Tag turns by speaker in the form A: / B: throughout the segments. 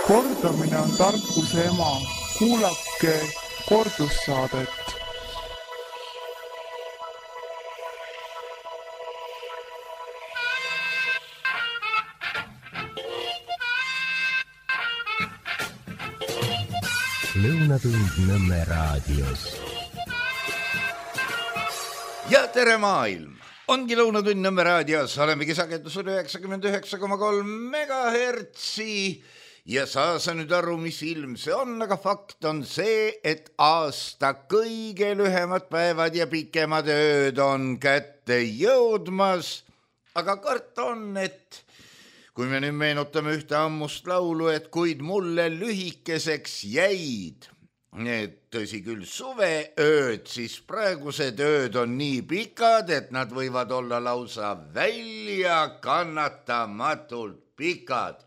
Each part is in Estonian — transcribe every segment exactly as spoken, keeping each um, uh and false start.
A: Kordamine on tarkuse ema. Kuulake kordussaadet.
B: Lõunatund Nõmme raadios.
C: Ja tere maailm! Ongi Lõunatund Nõmme raadios. Olemegi sagedusel üheksakümmend üheksa koma kolm megahertsi. Ja saa sa nüüd aru, mis ilm see on, aga fakt on see, et aasta kõige lühemad päevad ja pikemad ööd on kätte jõudmas. Aga kart on, et kui me nüüd meenutame ühte ammust laulu, et kuid mulle lühikeseks jäid need tõsi küll suveööd, siis praegused ööd on nii pikad, et nad võivad olla lausa välja kannatamatult pikad.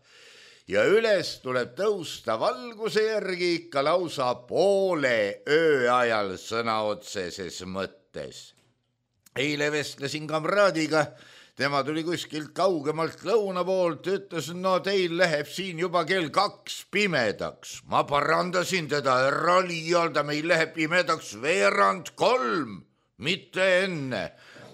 C: Ja üles tuleb tõusta valguse järgi ikka lausa poole öö ajal sõna otseses mõttes. Eile vestlesin kamraadiga, tema tuli kuskilt kaugemalt lõuna poolt, ütles, no teil läheb siin juba kell kaks pimedaks. Ma parandasin teda, ära liialda, meil läheb pimedaks veerand kolm, mitte enne.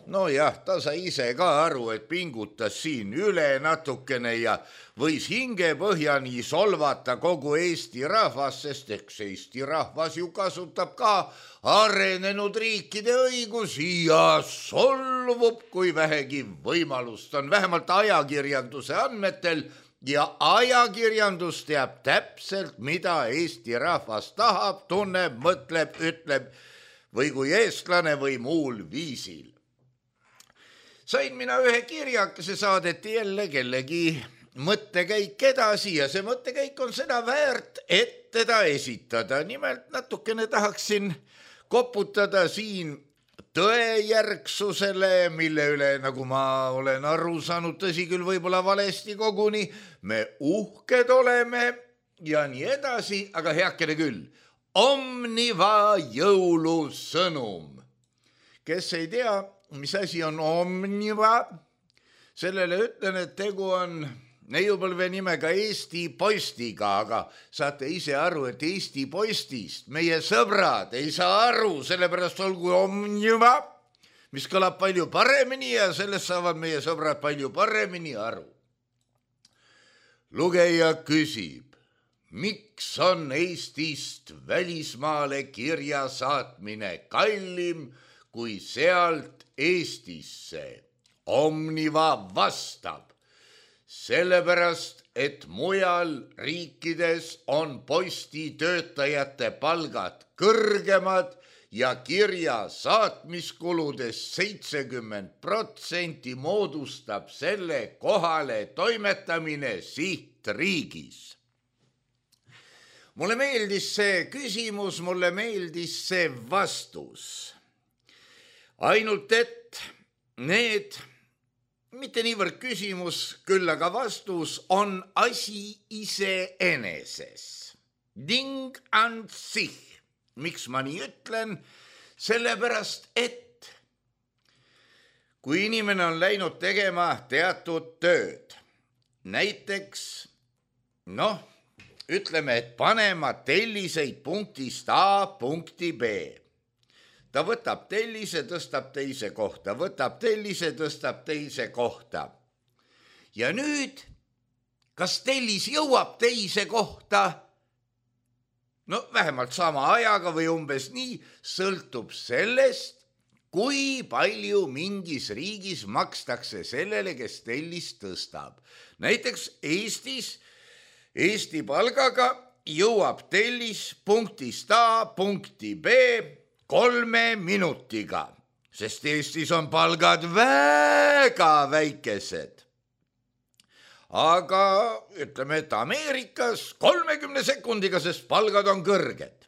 C: No jah, ta sai ise ka aru, et pingutas siin üle natukene ja võis hinge põhjani solvata kogu Eesti rahvas, sest eks Eesti rahvas ju kasutab ka arenenud riikide õigusi ja solvub, kui vähegi võimalust on, vähemalt ajakirjanduse andmetel, ja ajakirjandus teab täpselt, mida Eesti rahvas tahab, tunneb, mõtleb, ütleb või kui eestlane või muul viisil. Sain mina ühe kirjakese, saadeti jälle kellegi mõttekäik edasi ja see mõttekäik on seda väärt, et teda esitada. Nimelt natukene tahaksin koputada siin tõejärgsusele, mille üle, nagu ma olen aru saanud, tõsi küll võib-olla valesti koguni, me uhked oleme ja nii edasi, aga heakene küll. Omniva jõulusõnum. Kes ei tea, mis asi on Omniva? Sellele ütlen, et tegu on neiupõlve nimega Eesti Postiga, aga saate ise aru, et Eesti Postist meie sõbrad ei saa aru, sellepärast olgu Omniva, mis kõlab palju paremini ja sellest saavad meie sõbrad palju paremini aru. Lugeja küsib, miks on Eestist välismaale kirja saatmine kallim kui sealt Eestisse? Omniva vastab, sellepärast, et mujal riikides on postitöötajate palgad kõrgemad ja kirja saatmiskuludest seitsekümmend protsenti moodustab selle kohale toimetamine sihtriigis. Mulle meeldis see küsimus, mulle meeldis see vastus. Ainult et need, mitte niivõrd küsimus, küll aga vastus on asi iseeneses. Ding an sich. Miks ma nii ütlen? Sellepärast, et kui inimene on läinud tegema teatud tööd, näiteks, noh, ütleme, et panema telliseid punktist A punkti B. Ta võtab tellise, tõstab teise kohta, võtab tellise, tõstab teise kohta. Ja nüüd, kas tellis jõuab teise kohta? No vähemalt sama ajaga või umbes nii, sõltub sellest, kui palju mingis riigis makstakse sellele, kes tellist tõstab. Näiteks Eestis, Eesti palgaga jõuab tellis punktist A punkti B kolme minutiga, sest Eestis on palgad väga väikesed. Aga ütleme, et Ameerikas kolmekümne sekundiga, sest palgad on kõrged.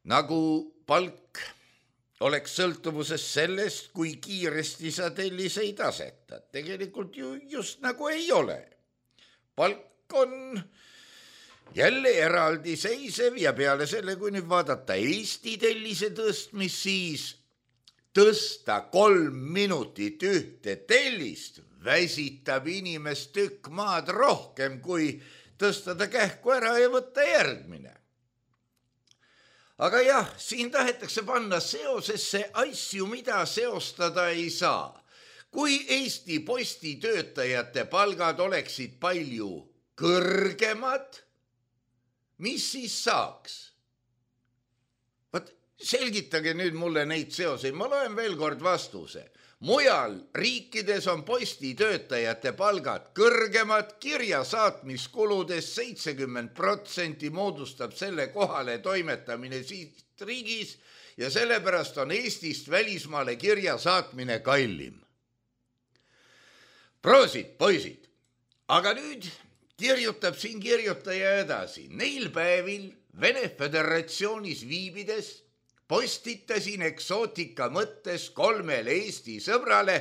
C: Nagu palk oleks sõltuvuses sellest, kui kiiresti sa telliseid asetad. Tegelikult ju just nagu ei ole. Palk on jälle eraldiseisev ja peale selle, kui nüüd vaadata Eesti tellise tõstmist, siis tõsta kolm minutit ühte tellist väsitab inimest tükk maad rohkem kui tõsta ta kähku ära ja võtta järgmine. Aga jah, siin tahetakse panna seosesse asju, mida seostada ei saa. Kui Eesti Posti töötajate palgad oleksid palju kõrgemad, mis siis saaks? Vaat selgitage nüüd mulle neid seoseid, ma loen veel kord vastuse. Mujal riikides on posti töötajate palgad kõrgemad, kirja saatmiskuludest seitsekümmend protsenti moodustab selle kohale toimetamine siit riigis ja sellepärast on Eestist välismaale kirja saatmine kallim. Proosid, poisid, aga nüüd kirjutab siin kirjutaja edasi. Neil päevil Vene Föderatsioonis viibides postitasin eksootika mõttes kolmele Eesti sõbrale.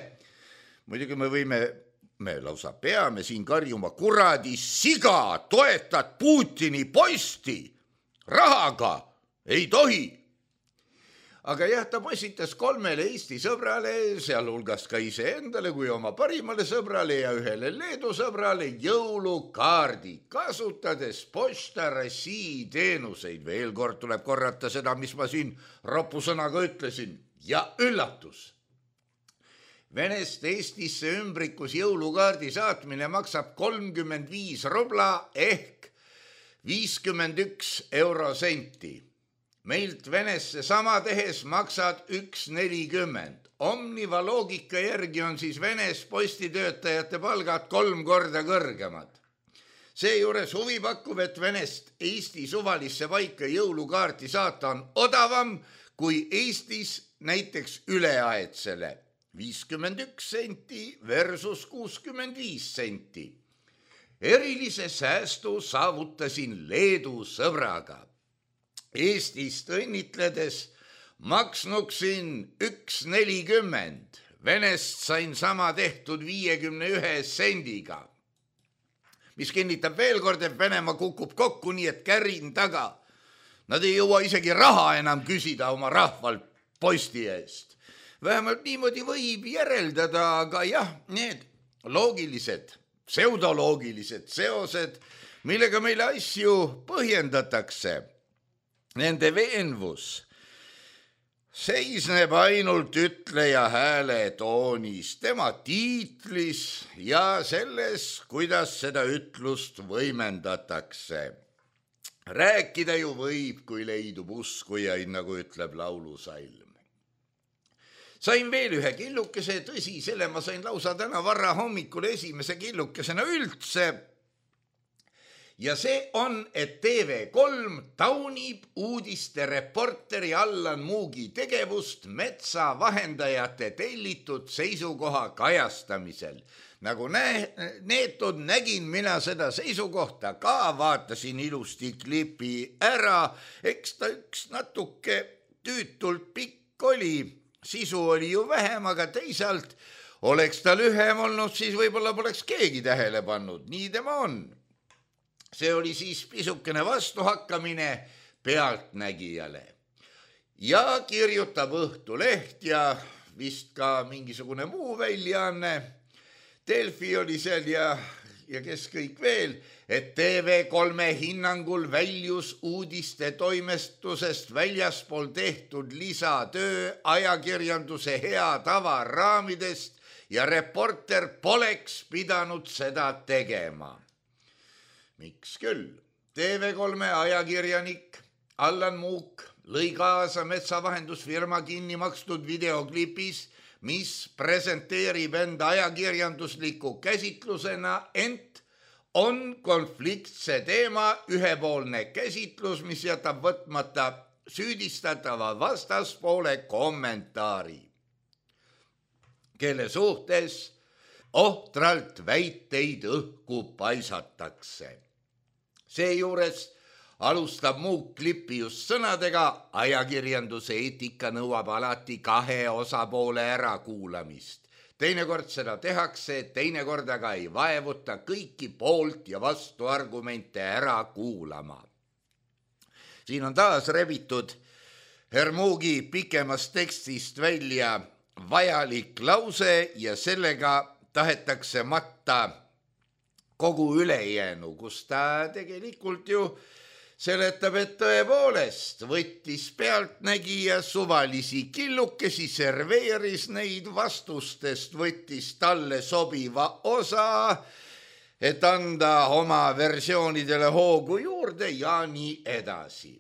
C: Muidugi me võime, me lausa peame siin karjuma kuradi siga, toetad Putini posti, rahaga ei tohi. Aga jah, ta postitas kolmele Eesti sõbrale, sealhulgas ka iseendale kui oma parimale sõbrale ja ühele Leedu sõbrale jõulukaardi, kasutades Pošta Rossii teenuseid. Veel kord tuleb korrata seda, mis ma siin ropusõnaga ütlesin. Ja üllatus! Venest Eestisse ümbrikus jõulukaardi saatmine maksab kolmkümmend viis rubla ehk viiskümmend üks eurosenti. Meilt Venesse sama tehes maksad üks nelikümmend. Omniva loogika järgi on siis Venes postitöötajate palgad kolm korda kõrgemad. Seejuures huvi pakub, et Venest Eesti suvalisse paika jõulukaarti saata on odavam kui Eestis näiteks üleaetsele. viiskümmend üks senti versus kuuskümmend viis senti. Erilise säästu saavutasin Leedu sõbraga. Eestist õnnitledes maksnuksin üks nelikümmend. Venest sain sama tehtud viiekümne ühe sendiga. Mis kinnitab veel kord, et Venemaa kukub kokku nii, et kärin taga. Nad ei jõua isegi raha enam küsida oma rahvalt posti eest. Vähemalt niimoodi võib järeldada, aga jah, need loogilised, pseudoloogilised seosed, millega meile asju põhjendatakse. Nende veenvus seisneb ainult ütleja hääle toonis, tema tiitlis ja selles, kuidas seda ütlust võimendatakse. Rääkida ju võib, kui leidub uskujaid, nagu ütleb laulusalm. Sain veel ühe killukese, tõsi, selle ma sain lausa täna varra hommikul esimese killukesena üldse. Ja see on, et T V kolm taunib uudiste reporteri Allan Muugi tegevust metsavahendajate tellitud seisukoha kajastamisel. Nagu nä- neetud nägin mina seda seisukohta ka, vaatasin ilusti klipi ära, eks ta üks natuke tüütult pikk oli, sisu oli ju vähem, aga teisalt oleks ta lühem olnud, siis võib-olla poleks keegi tähele pannud, nii tema on. See oli siis pisukene vastuhakkamine pealtnägijale. Ja kirjutab Õhtuleht ja vist ka mingisugune muu väljaanne. Delfi oli seal ja, ja kes kõik veel, et T V kolme hinnangul väljus uudiste toimestusest väljaspool tehtud lisatöö ajakirjanduse hea tava raamidest ja reporter poleks pidanud seda tegema. Miks küll? T V kolme ajakirjanik Allan Muuk lõi kaasa metsavahendusfirma kinni makstud videoklipis, mis presenteerib enda ajakirjandusliku käsitlusena, ent on konfliktse teema ühepoolne käsitlus, mis jätab võtmata süüdistatava vastaspoole kommentaari, kelle suhtes ohtralt väiteid õhku paisatakse. Seejuures alustab Muuk klippi just sõnadega, ajakirjanduse eetika nõuab alati kahe osapoole ärakuulamist. Teinekord seda tehakse, teinekord aga ei vaevuta kõiki poolt ja vastu argumente ära kuulama. Siin on taas rebitud Hermugi pikemast tekstist välja vajalik lause ja sellega tahetakse matta kogu ülejäänu, kus ta tegelikult ju seletab, et tõepoolest võttis pealtnägija suvalisi killukesi, serveeris neid vastustest, võttis talle sobiva osa, et anda oma versioonidele hoogu juurde ja nii edasi.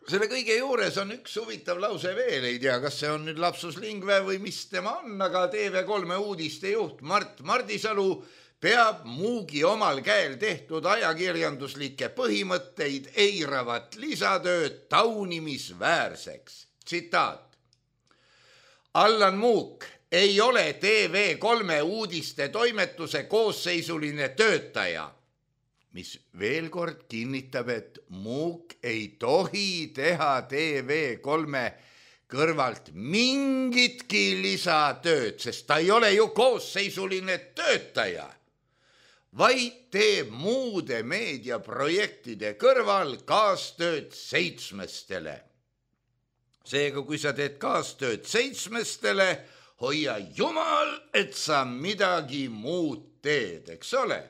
C: Selle kõige juures on üks huvitav lause veel, ei tea, kas see on nüüd lapsus lingve või mis tema on, aga T V kolme uudiste juht Mart Mardisalu peab muugi omal käel tehtud ajakirjanduslikke põhimõtteid eiravat lisatööd taunimisväärseks. Tsitaat. Allan Muuk ei ole T V kolme uudiste toimetuse koosseisuline töötaja, mis veel kord kinnitab, et Muuk ei tohi teha T V kolme kõrvalt mingitki lisatööd, sest ta ei ole ju koosseisuline töötaja, vaid teeb muude meediaprojektide kõrval kaastööd seitsmestele. Seega, kui sa teed kaastööd seitsmestele, hoia jumal, et sa midagi muud teed, eks ole.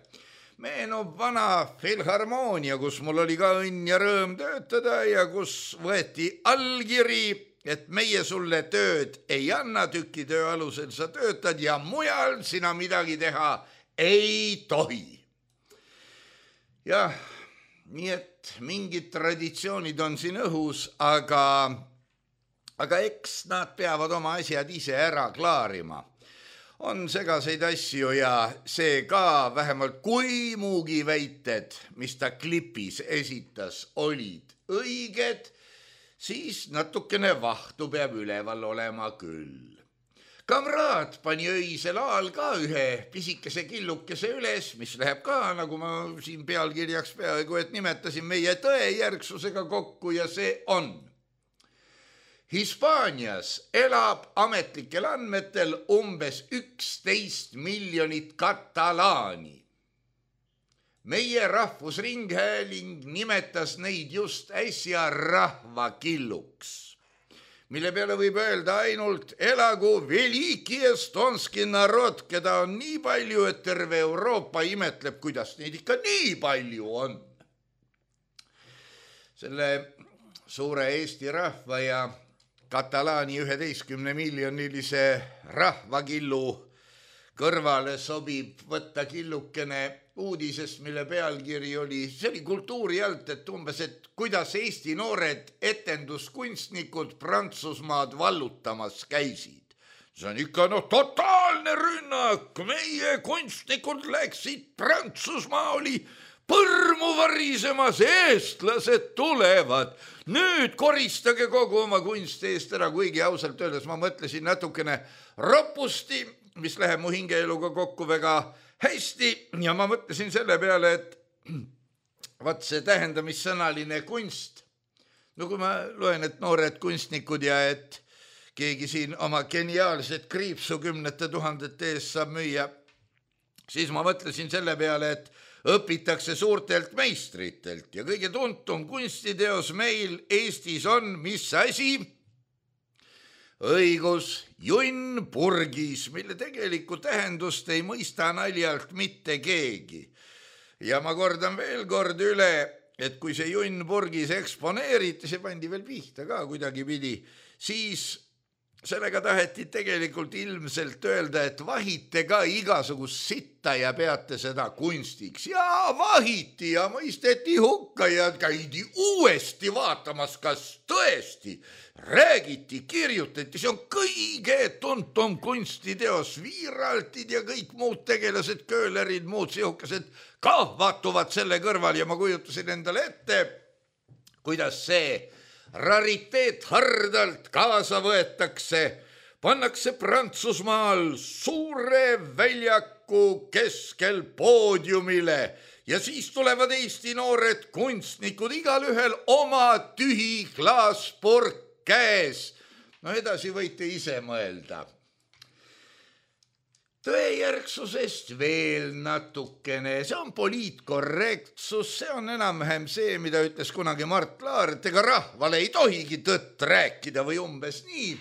C: Meenub vana filharmoonia, kus mul oli ka õnn ja rõõm töötada ja kus võeti allkiri, et meie sulle tööd ei anna, tükitöö alusel sa töötad ja mujal sina midagi teha ei tohi. Jah, nii et mingid traditsioonid on siin õhus, aga, aga eks nad peavad oma asjad ise ära klaarima. On segaseid asju ja see ka vähemalt kui muugi väited, mis ta klipis esitas, olid õiged, siis natukene vahtu peab üleval olema küll. Kamraad pani öisel aal ka ühe pisikese killukese üles, mis läheb ka, nagu ma siin pealkirjaks peaaegu, et nimetasin meie tõejärgsusega kokku ja see on. Hispaanias elab ametlikel andmetel umbes üksteist miljonit katalaani. Meie rahvusringhääling nimetas neid just äsja rahvakilluks, mille peale võib öelda ainult elagu veliki estonski narod, keda on nii palju, et terve Euroopa imetleb, kuidas neid ikka nii palju on. Selle suure Eesti rahva ja katalaani üheteistkümne miljonilise rahvakillu kõrvale sobib võtta killukene uudisest, mille pealkiri oli, see oli kultuuri alt, et umbes, et kuidas Eesti noored etenduskunstnikud Prantsusmaad vallutamas käisid. See on ikka no totaalne rünnak, meie kunstnikud läksid Prantsusmaa, oli põrmu varisemas, eestlased tulevad. Nüüd koristage kogu oma kunst eest ära, kuigi ausalt öeldes ma mõtlesin natukene ropusti, mis läheb mu hingeeluga kokku väga hästi ja ma mõtlesin selle peale, et vaat see tähendamissõnaline kunst, no kui ma loen, et noored kunstnikud ja et keegi siin oma geniaalset kriipsu kümnete tuhandete eest saab müüa, siis ma mõtlesin selle peale, et õpitakse suurtelt meistritelt ja kõige tuntum kunstiteos meil Eestis on mis asi? Õigus, junn purgis, mille tegelikku tähendust ei mõista naljalt mitte keegi. Ja ma kordan veel kord üle, et kui see junn purgis eksponeeriti, see pandi veel pihta ka kuidagi pidi, siis sellega taheti tegelikult ilmselt öelda, et vahite ka igasugust sitta ja peate seda kunstiks. Ja vahiti ja mõisteti hukka ja käidi uuesti vaatamas, kas tõesti räägiti, kirjutati, see on kõige tuntum kunstiteos, viiraltid ja kõik muud tegelased, köölerid, muud sihukesed kahvatuvad selle kõrval ja ma kujutasin endale ette, kuidas see rariteet hardalt kaasa võetakse, pannakse Prantsusmaal suure väljaku keskel poodiumile ja siis tulevad Eesti noored kunstnikud, igal ühel oma tühi klaaspurk käes. No edasi võite ise mõelda. Tõejärgsusest veel natukene, see on poliitkorrektsus, see on enam-vähem see, mida ütles kunagi Mart Laar, et ega rahvale ei tohigi tõtt rääkida või umbes nii.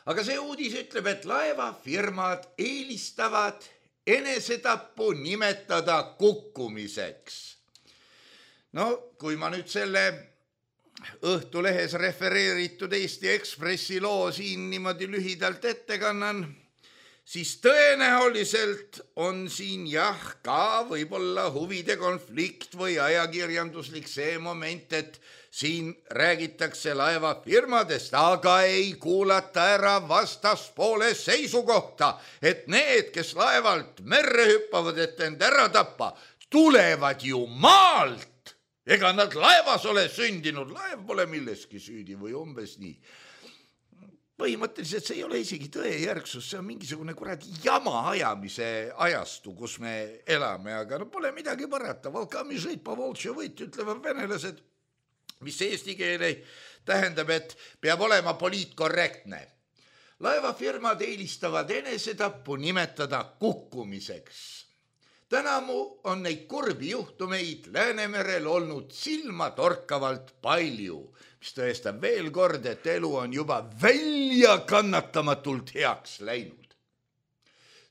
C: Aga see uudis ütleb, et laevafirmad eelistavad enesetappu nimetada kukkumiseks. No kui ma nüüd selle Õhtulehes refereeritud Eesti Ekspressi loo siin niimoodi lühidalt ette kannan, siis tõenäoliselt on siin jah ka võib-olla huvide konflikt või ajakirjanduslik see moment, et siin räägitakse laevafirmadest, aga ei kuulata ära vastaspoole seisukohta, et need, kes laevalt merre hüppavad, et end ära tappa, tulevad ju maalt. Ega nad laevas ole sündinud, laev pole milleski süüdi või umbes nii. Põhimõtteliselt see ei ole isegi tõejärgsus, see on mingisugune kuradi jama ajamise ajastu, kus me elame, aga no pole midagi parata. Volkami žõit po voltšo võit, ütlevad venelased, mis eesti keele tähendab, et peab olema poliitkorrektne. Laevafirmad eelistavad enesetappu nimetada kukkumiseks. Tänamu on neid kurbi juhtumeid Läänemerel olnud silma torkavalt palju, mis tõestab veel kord, et elu on juba välja kannatamatult heaks läinud.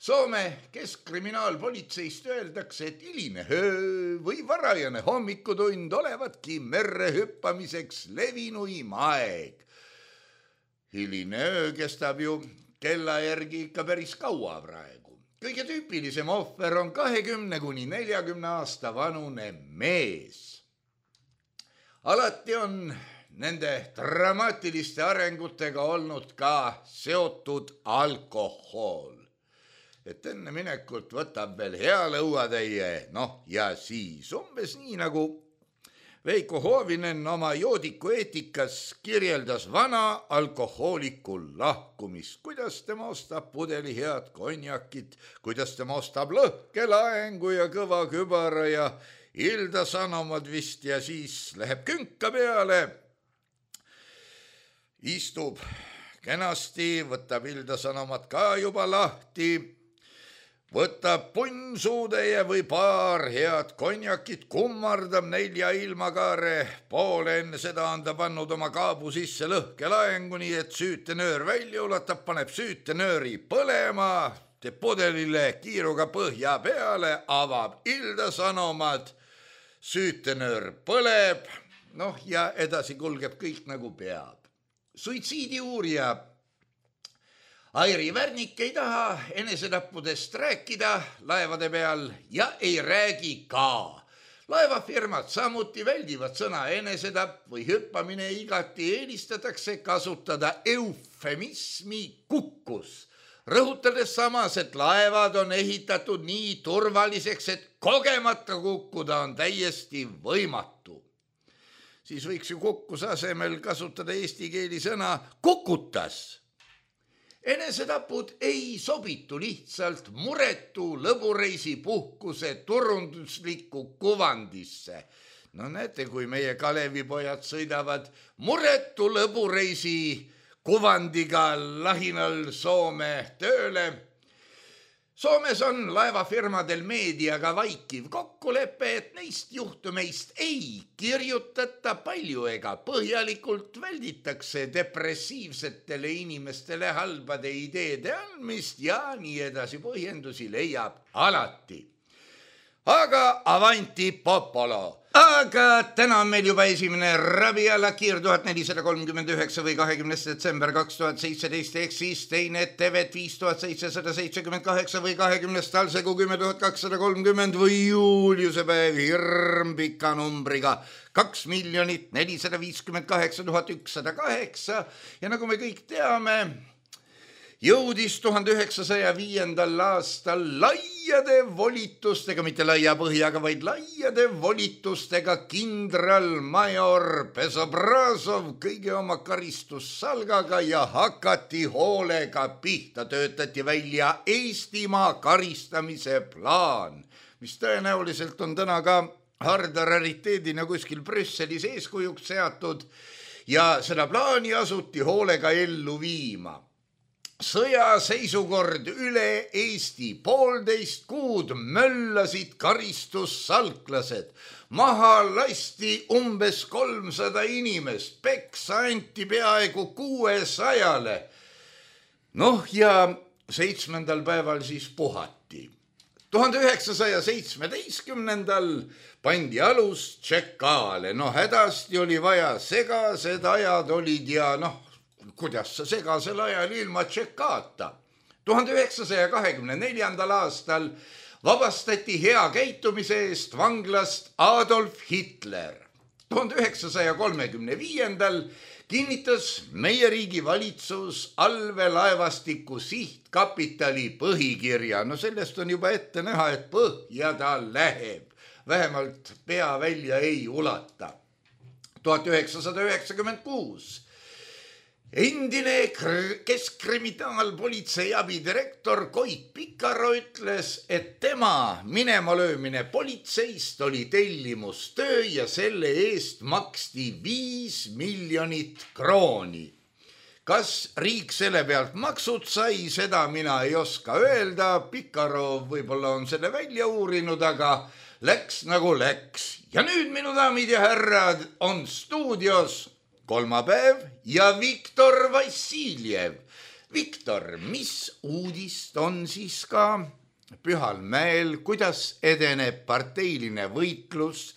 C: Soome keskkriminaalpolitseist öeldakse, et hiline öö või varajane hommikutund olevatki merre hüppamiseks levinuim aeg. Hiline öö kestab ju kella järgi ikka päris kaua praegu. Kõige tüüpilisem ohver on kahekümne kuni neljakümne aasta vanune mees. Alati on nende dramaatiliste arengutega olnud ka seotud alkohol. Et enne minekut võtab veel hea lõuatäie, noh ja siis umbes nii nagu Veiko Hoovinen oma joodiku eetikas kirjeldas vana alkohooliku lahkumist, kuidas tema ostab pudeli head konjakit, kuidas tema ostab lõhkelaengu ja kõva kübara ja Ilda Sanomad vist ja siis läheb künka peale, istub kenasti, võtab Ilda Sanomat ka juba lahti, võtab punnsuudeje või paar head konjakit, kummardab nelja ilmakaare, poole enne seda on ta pannud oma kaabu sisse lõhkelaengu, nii et süütenöör välja ulatab, paneb süütenööri põlema, teeb pudelile kiiruga põhja peale, avab Ilda Sanomad, süütenöör põleb, noh ja edasi kulgeb kõik nagu peab. Suitsiidi uurija Airi Värnik ei taha enesetappudest rääkida laevade peal ja ei räägi ka. Laevafirmad samuti väldivad sõna enesetapp või hüppamine, igati eelistatakse kasutada eufemismi kukkus, rõhutades samas, et laevad on ehitatud nii turvaliseks, et kogemata kukkuda on täiesti võimatu. Siis võiks ju kukkuse asemel kasutada eesti keeli sõna kukutas. Enesetapud ei sobitu lihtsalt muretu lõbureisi puhkuse turunduslikku kuvandisse. No näete, kui meie Kalevipojad sõidavad muretu lõbureisi kuvandiga lahinal Soome tööle. Soomes on laevafirmadel meediaga vaikiv kokkulepe, et neist juhtumeist ei kirjutata palju ega põhjalikult, välditakse depressiivsetele inimestele halbade ideede andmist ja nii edasi, põhjendusi leiab alati. Aga avanti popolo. Aga täna on meil juba esimene Rabiala Kiir tuhat nelisada kolmkümmend üheksa või kahekümnes detsember kaks tuhat seitseteist, ehk siis teine Tevet viis tuhat seitsesada seitsekümmend kaheksa või kahekümnes Talsegu kümme tuhat kakssada kolmkümmend või Juuliuse päev hirmpika numbriga kaks miljonit nelisada viiskümmend kaheksa tuhat ükssada kaheksa ja nagu me kõik teame, jõudis tuhande üheksasaja viiendal aastal laiade volitustega, mitte laia põhjaga, vaid laiade volitustega kindralmajor Pesobrazov kõige oma karistussalgaga ja hakati hoolega pihta, töötati välja Eestimaa karistamise plaan, mis tõenäoliselt on täna ka harda rariteedina kuskil Brüsselis eeskujuks seatud ja seda plaani asuti hoolega ellu viima. Sõjaseisukord üle Eesti, poolteist kuud möllasid karistussalklased, maha lasti umbes kolmsada inimest, peksa anti peaaegu kuuesajale. Noh ja seitsmendal päeval siis puhati. tuhande üheksasaja seitsmeteistkümnendal pandi alus Tšekaale. No hädasti oli vaja, segased ajad olid ja noh, kuidas sa segasel ajal ilma Tšekaata. tuhande üheksasaja kahekümne neljandal aastal vabastati hea käitumise eest vanglast Adolf Hitler. tuhande üheksasaja kolmekümne viiendal kinnitas meie riigi valitsus allveelaevastiku sihtkapitali põhikirja. No sellest on juba ette näha, et põhja ta läheb. Vähemalt pea välja ei ulata. tuhat üheksasada üheksakümmend kuus endine keskkriminaalpolitsei abidirektor Koit Pikaro ütles, et tema minema löömine politseist oli tellimustöö ja selle eest maksti viis miljonit krooni. Kas riik selle pealt maksud sai, seda mina ei oska öelda. Pikaro võib-olla on selle välja uurinud, aga läks nagu läks. Ja nüüd, minu daamid ja härrad, on stuudios kolmapäev ja Viktor Vassiljev. Viktor, mis uudist on siis ka Pühal mäel, kuidas edeneb parteiline võitlus,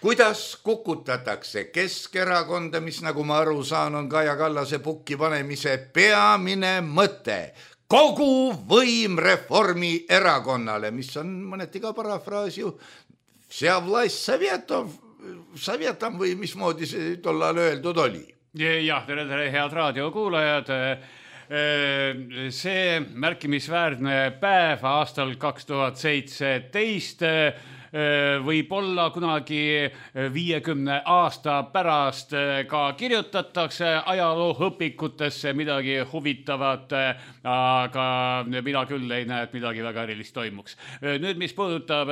C: kuidas kukutatakse Keskerakonda, mis nagu ma aru saan, on Kaja Kallase pukki panemise peamine mõte. Kogu võim Reformierakonnale, mis on mõneti ka parafraas ju, vся власть советов, Saviatam või mismoodi see tollal öeldud oli?
D: Jah, tere, tere, head raadiokuulajad. See märkimisväärne päev aastal kaks tuhat seitseteist võib-olla kunagi viiekümne aasta pärast ka kirjutatakse ajalooõpikutesse midagi huvitavat, aga mina küll ei näe, et midagi väga erilist toimuks. Nüüd, mis puudutab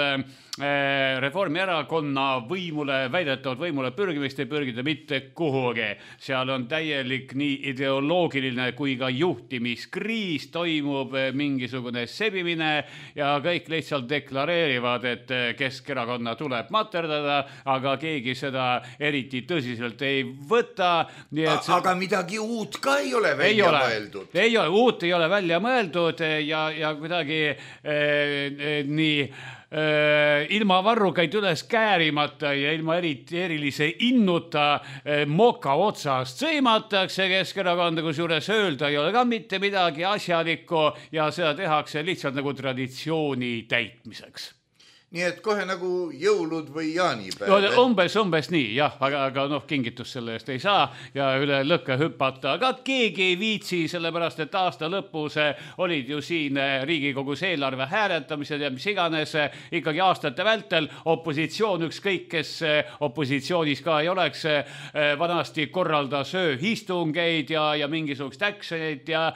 D: Reformierakonna võimule, väidetavat võimule pürgimist, ei pürgida mitte kuhugi. Seal on täielik nii ideoloogiline kui ka juhtimiskriis, toimub mingisugune sebimine ja kõik lihtsalt deklareerivad, et Keskerakonna tuleb materdada, aga keegi seda eriti tõsiselt ei võta. Nii et see... Aga
C: midagi uut ka ei ole välja ei ole, mõeldud.
D: Ei ole, uut ei ole välja mõeldud ja, ja kuidagi eh, eh, nii eh, ilma varrukaid üles käärimata ja ilma eriti erilise innuta eh, moka otsast sõimatakse Keskerakonda, kus juures öelda ei ole ka mitte midagi asjalikku ja seda tehakse lihtsalt nagu traditsiooni täitmiseks.
C: Nii et kohe nagu jõulud või jaanipäev.
D: No, umbes, umbes nii, jah, aga, aga noh, kingitus selle eest ei saa ja üle lõkke hüpata. Aga keegi ei viitsi, sellepärast et aasta lõpus olid ju siin Riigikogus eelarve hääletamised ja mis iganes ikkagi aastate vältel opositsioon, ükskõik kes opositsioonis ka ei oleks, vanasti korraldas ööistungeid ja, ja mingisugust actionit ja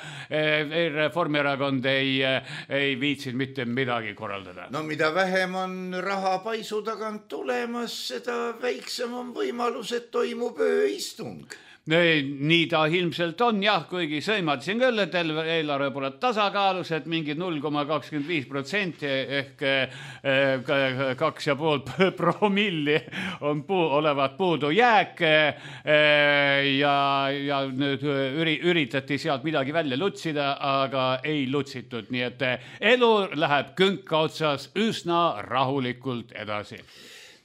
D: Reformierakond ei, ei viitsid mitte midagi korraldada.
C: No mida vähem on raha paisu tagant tulemas, seda väiksem on võimalus, et toimub ööistung.
D: Nii ta ilmselt on, jah, kuigi sõimatasin küll, et eelarve pole tasakaalus, et mingi null koma kakskümmend viis protsenti ehk kaks ja pool promilli on puu, olevat puudu jääk ja, ja nüüd üri, üritati sealt midagi välja lutsida, aga ei lutsitud, nii et elu läheb künka otsas üsna rahulikult edasi.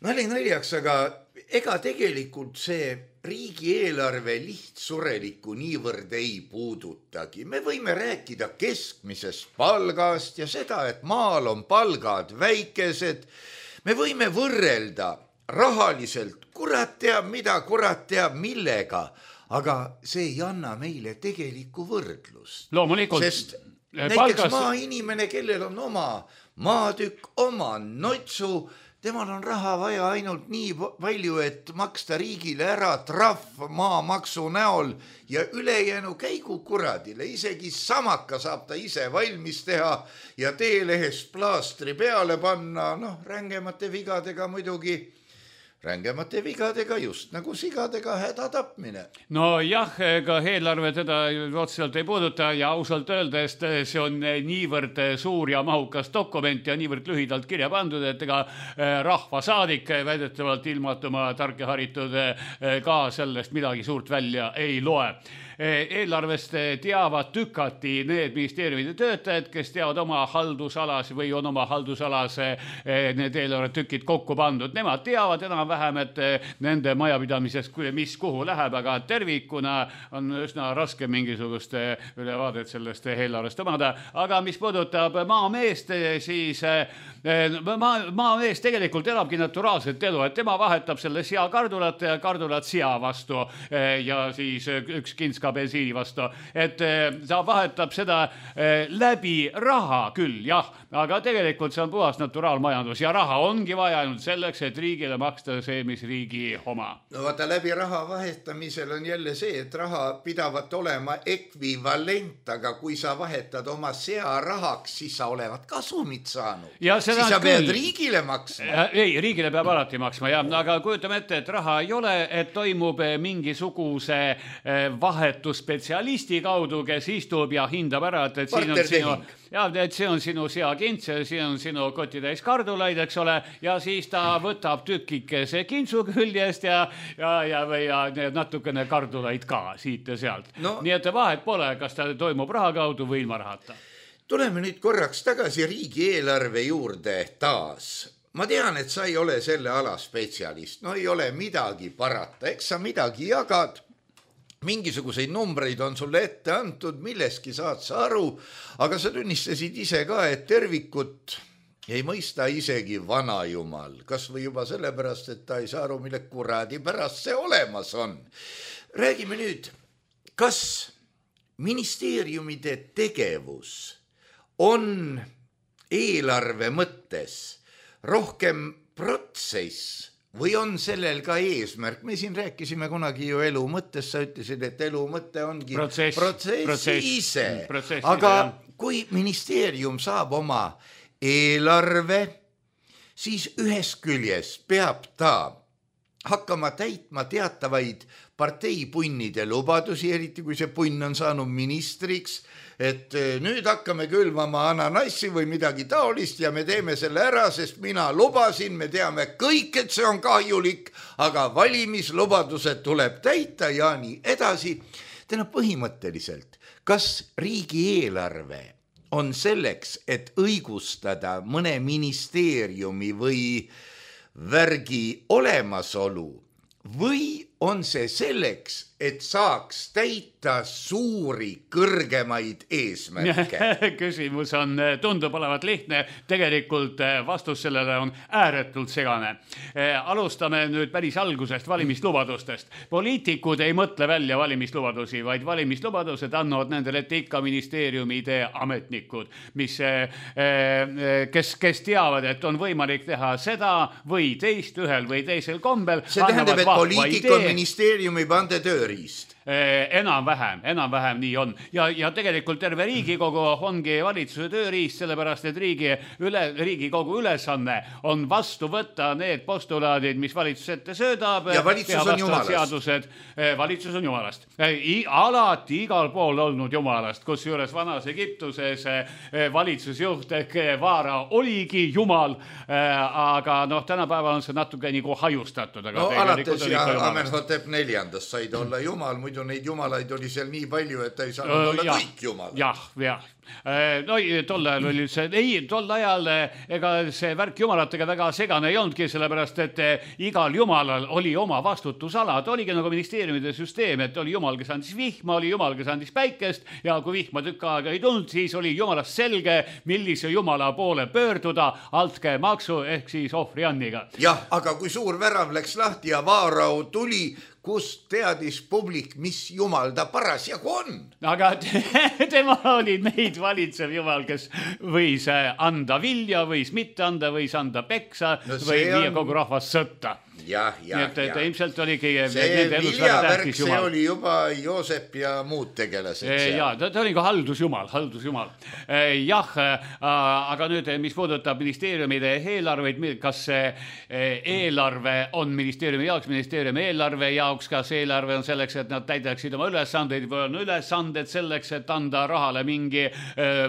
C: Nali naljaks, aga ega tegelikult see riigieelarve lihtsurelikku niivõrd ei puudutagi. Me võime rääkida keskmisest palgast ja seda, et maal on palgad väikesed. Me võime võrrelda rahaliselt, kurat teab mida, kurat teab millega, aga see ei anna meile tegelikku võrdlust.
D: Loomulikult.
C: Sest näiteks palgas... maainimene, kellel on oma maatükk, oma notsu, temal on raha vaja ainult nii palju, et maksta riigile ära trahv maamaksu näol ja ülejäänu käigu kuradile. Isegi samaka saab ta ise valmis teha ja teelehest plaastri peale panna, noh, rängemate vigadega muidugi. Rängemate vigadega just nagu sigadega häda tapmine.
D: No jah, ega eelarve teda otseselt ei puuduta ja ausalt öeldes see on niivõrd suur ja mahukas dokument ja niivõrd lühidalt kirja pandud, et ega rahvasaadik väidetavalt ilmatuma tark ja haritud ka sellest midagi suurt välja ei loe. eelarvest teavad tükati need ministeeriumide töötajad, kes teavad oma haldusalas või on oma haldusalas need eelarvetükid kokku pandud. Nemad teavad enam-vähem, et nende majapidamisest, mis kuhu läheb, aga tervikuna on üsna raske mingisugust ülevaadet sellest eelarvest omada. Aga mis puudutab maameest, siis maa, maamees tegelikult elabki naturaalset elu, et tema vahetab selle sea kardulat ja kardulat sea vastu ja siis üks kintska bensiini vastu. Et ta vahetab seda läbi raha küll, jah, aga tegelikult see on puhas naturaalmajandus ja raha ongi vaja ainult selleks, et riigile maksta see, mis riigi oma.
C: No vaata, läbi raha vahetamisel on jälle see, et raha pidavat olema ekvivalent, aga kui sa vahetad oma sea rahaks, siis sa olevat kasumit saanud. Siis sa pead küll riigile maksma.
D: Ei, riigile peab alati maksma, ja, aga kujutame ette, et raha ei ole, et toimub mingisuguse vahetusspetsialisti kaudu, kes istub ja hindab ära, et, et siin on sinu, ja, et see on sinu seakints, siin on sinu kotitäis kardulaid, eks ole, ja siis ta võtab tükikese kintsu küljest ja, ja, ja, ja natukene kardulaid ka siit ja sealt. No, nii et vahet pole, kas ta toimub raha kaudu või ilma rahata.
C: Tuleme nüüd korraks tagasi riigieelarve juurde taas. Ma tean, et sa ei ole selle ala spetsialist. No ei ole midagi parata. Eks sa midagi jagad. Mingisuguseid numbreid on sulle ette antud, milleski saad sa aru. Aga sa tunnistasid ise ka, et tervikut ei mõista isegi vana jumal. Kas või juba sellepärast, et ta ei saa aru, mille kuradi pärast see olemas on. Räägime nüüd, kas ministeeriumide tegevus on eelarve mõttes rohkem protsess või on sellel ka eesmärk? Me siin rääkisime kunagi ju elu mõttes, sa ütlesid, et elu mõte ongi protsess, protsess, protsess ise. Protsess, aga jah. Kui ministeerium saab oma eelarve, siis ühest küljest peab ta hakkama täitma teatavaid parteipunnide lubadusi, eriti kui see punn on saanud ministriks, et nüüd hakkame külvama ananassi või midagi taolist ja me teeme selle ära, sest mina lubasin, me teame kõik, et see on kahjulik, aga valimislubadused tuleb täita ja nii edasi. Täna põhimõtteliselt, kas riigieelarve on selleks, et õigustada mõne ministeeriumi või värgi olemasolu või on see selleks, et saaks täita suuri kõrgemaid eesmärke?
D: Küsimus on, tundub olevat lihtne, tegelikult vastus sellele on ääretult segane. Alustame nüüd päris algusest valimislubadustest. Poliitikud ei mõtle välja valimislubadusi, vaid valimislubadused annavad nendele ette ikka ministeeriumide ametnikud, mis, kes, kes teavad, et on võimalik teha seda või teist ühel või teisel kombel.
C: See tähendab, et poliitik on ministeeriumi pande tööriist.
D: Enam-vähem, enam-vähem nii on. Ja, ja tegelikult terve Riigikogu ongi valitsuse tööriist, sellepärast, et riigi üle, Riigikogu ülesanne on vastu võtta need postulaadid, mis valitsus ette söödab.
C: Ja valitsus on jumalast.
D: Seadused, valitsus on jumalast. I, alati igal pool olnud jumalast, kus juures vanas Egiptuses valitsusjuht Vaara oligi jumal, aga noh, tänapäeval on see natuke nagu hajustatud. Aga
C: no alates ja Amenhotep neljandast said olla jumal, muidu neid jumalaid oli seal nii palju, et ei saanud olla ja, kõik jumalad.
D: Jah, jah. No tol ajal oli see, ei, tol ajal ega see värk jumalatega väga segane ei olnudki, sellepärast, et igal jumalal oli oma vastutusala. Ta oligi nagu ministeeriumide süsteem, et oli jumal, kes andis vihma, oli jumal, kes andis päikest ja kui vihma tükk aega ei tulnud, siis oli jumalast selge, millise jumala poole pöörduda altke maksu ehk siis ohvrianniga.
C: Jah, aga kui suur värav läks lahti ja Vaarau tuli, kust teadis publik, mis jumal ta parasjagu on.
D: Aga tema oli neid valitsev jumal, kes võis anda vilja, võis mitte anda, võis anda peksa no või viia kogu rahvas sõtta.
C: Jah, jah,
D: nii et, et ilmselt oligi
C: see viljavärk, see oli juba Joosep ja muud tegelased
D: e, ja, ta, ta oli ka haldusjumal, haldusjumal. E, jah, aga nüüd, mis puudutab ministeeriumide eelarveid, kas eelarve on ministeeriumi jaoks, ministeeriumi eelarve jaoks, kas eelarve on selleks, et nad täidaksid oma ülesandeid või on ülesanded selleks, et anda rahale mingi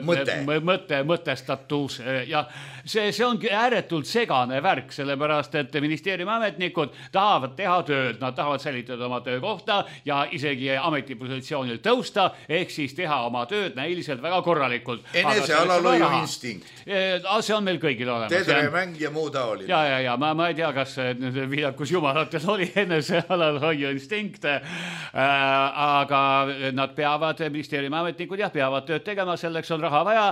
C: mõte,
D: mõte mõtestatus. Ja see, see ongi ääretult segane värk, sellepärast, et ministeeriumi ametnik ametnikud tahavad teha tööd, nad tahavad säilitada oma töökohta ja isegi ametipositsioonil tõusta, ehk siis teha oma tööd näiliselt väga korralikult.
C: Enese alalhoiu instinkt.
D: See on meil kõigil olemas.
C: Tedremäng ja muu taoline.
D: Ja, ja, ja ma, ma ei tea, kas viidakus jumalatel oli enese alalhoiu instinkt, aga nad peavad, ministeeriumi ametnikud jah, peavad tööd tegema, selleks on raha vaja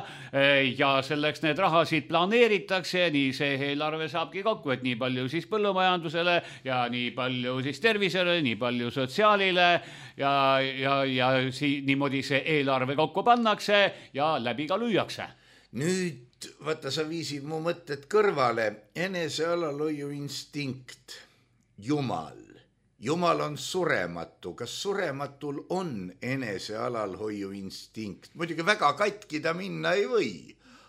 D: ja selleks need rahasid planeeritakse, nii see eelarve saabki kokku, et nii palju siis põllumajandusele ja nii palju siis tervisele, nii palju sotsiaalile ja, ja, ja si, niimoodi see eelarve kokku pannakse ja läbi ka lüüakse.
C: Nüüd, vaata, sa viisid mu mõtted kõrvale. Enese alalhoiu instinkt, Jumal. Jumal on surematu. Kas surematul on enese alalhoiu instinkt? Muidugi väga katki ta minna ei või,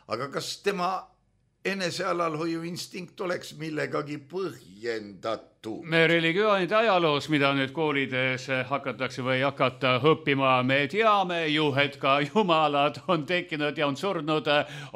C: aga kas tema enese alalhoiu instinkt oleks millegagi põhjendatud?
D: Me religioonide ajaloos, mida nüüd koolides hakatakse või hakata õppima, me teame ju, et ka jumalad on tekkinud ja on surnud,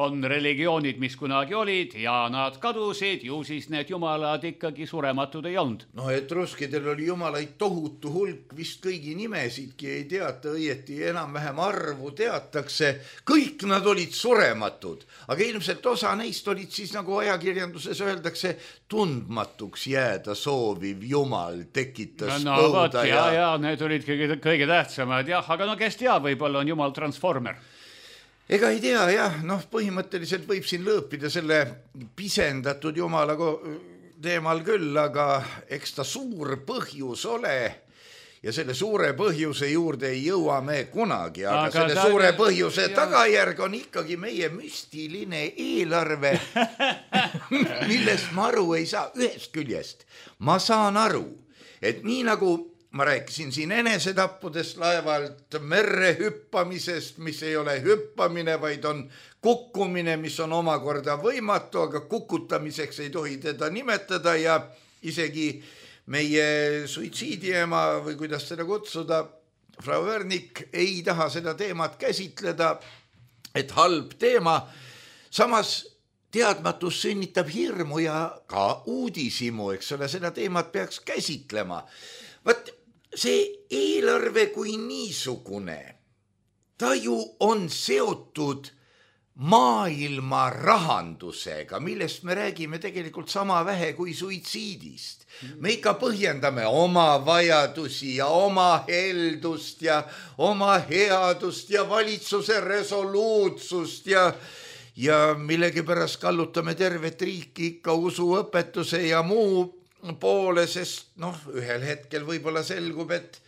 D: on religioonid, mis kunagi olid ja nad kadusid, ju siis need jumalad ikkagi surematud ei olnud.
C: No etruskidel oli jumalaid tohutu hulk, vist kõigi nimesidki ei teata õieti, enam-vähem arvu teatakse, kõik nad olid surematud, aga ilmselt osa neist olid siis, nagu ajakirjanduses öeldakse, tundmatuks jääda sooviv Jumal tekitas
D: no, põuda. Ja, ja need olid kõige, kõige tähtsamad, jah, aga no kes teab, võib-olla on Jumal transformer.
C: Ega ei tea, jah, noh, põhimõtteliselt võib siin lõõpida selle pisendatud Jumala teemal küll, aga eks ta suur põhjus ole. Ja selle suure põhjuse juurde ei jõua me kunagi, aga, aga selle ta... suure põhjuse ja... tagajärg on ikkagi meie müstiline eelarve, millest ma aru ei saa. Ühest küljest ma saan aru, et nii nagu ma rääkisin siin enesetappudest laevalt, merre hüppamisest, mis ei ole hüppamine, vaid on kukkumine, mis on omakorda võimatu, aga kukutamiseks ei tohi teda nimetada ja isegi meie suitsiidiema või kuidas seda kutsuda, Frau Wernik ei taha seda teemat käsitleda, et halb teema. Samas teadmatus sünnitab hirmu ja ka uudisimu, eks ole, seda teemat peaks käsitlema. Vaat see eelarve kui niisugune, ta ju on seotud maailma rahandusega, millest me räägime tegelikult sama vähe kui suitsiidist. Me ikka põhjendame oma vajadusi ja oma heldust ja oma headust ja valitsuse resoluutsust ja, ja millegipärast kallutame tervet riiki ikka usuõpetuse ja muu poole, sest noh, ühel hetkel võib-olla selgub, et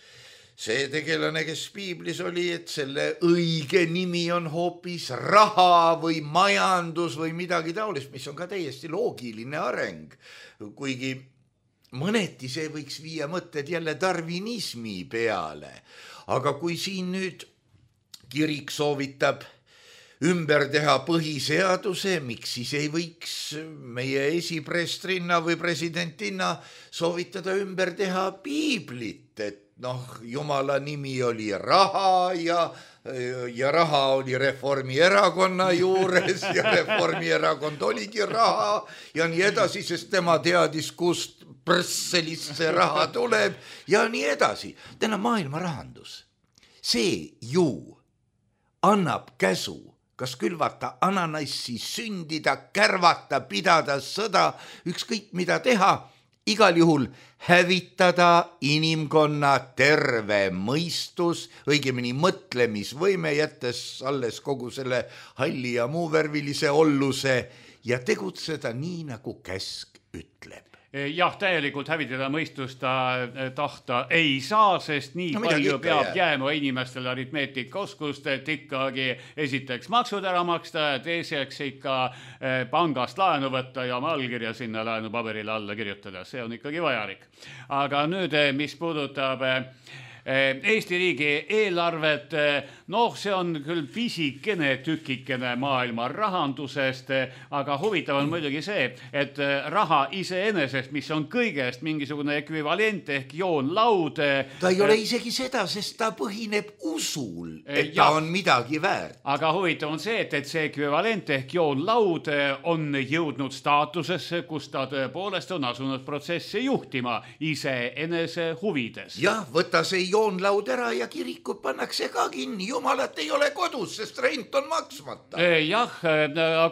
C: see tegelane, kes piiblis oli, et selle õige nimi on hoopis raha või majandus või midagi taolist, mis on ka täiesti loogiline areng. Kuigi mõneti see võiks viia mõtted jälle darwinismi peale. Aga kui siin nüüd kirik soovitab ümber teha põhiseaduse, miks siis ei võiks meie esiprestrinna või presidentinna soovitada ümber teha piiblit, et noh, Jumala nimi oli raha ja, ja raha oli Reformierakonna juures ja Reformierakond oligi raha ja nii edasi, sest tema teadis, kust Brüsselist see raha tuleb ja nii edasi. Täna maailma rahandus. See ju annab käsu, kas külvata ananassi, sündida, kärvata, pidada sõda, ükskõik mida teha, igal juhul hävitada inimkonna terve mõistus, õigemini mõtlemisvõime, jättes alles kogu selle halli ja muu värvilise olluse ja tegutseda nii, nagu käsk ütleb.
D: Jah, täielikult hävitada mõistust ta tahta ei saa, sest nii no, palju peab jää. jääma inimestele aritmeetika oskust, et ikkagi esiteks maksud ära maksta ja teiseks ikka pangast laenu võtta ja oma allkirja sinna laenupaberile alla kirjutada. See on ikkagi vajalik. Aga nüüd, mis puudutab Eesti riigi eelarvet, noh, see on küll pisikene tükikene maailma rahandusest, aga huvitav on muidugi see, et raha iseenesest, mis on kõigest mingisugune ekvivalent ehk joonlaud.
C: Ta ei ole isegi seda, sest ta põhineb usul, et ta ja, on midagi väärt.
D: Aga huvitav on see, et, et see ekvivalent ehk joonlaud on jõudnud staatusesse, kus ta tõepoolest on asunud protsessi juhtima iseenese huvides.
C: Jah, võta see joonlaud ära ja kirikud pannakse ka kinni. Jumalat ei ole kodus, sest rent on maksmata.
D: Jah,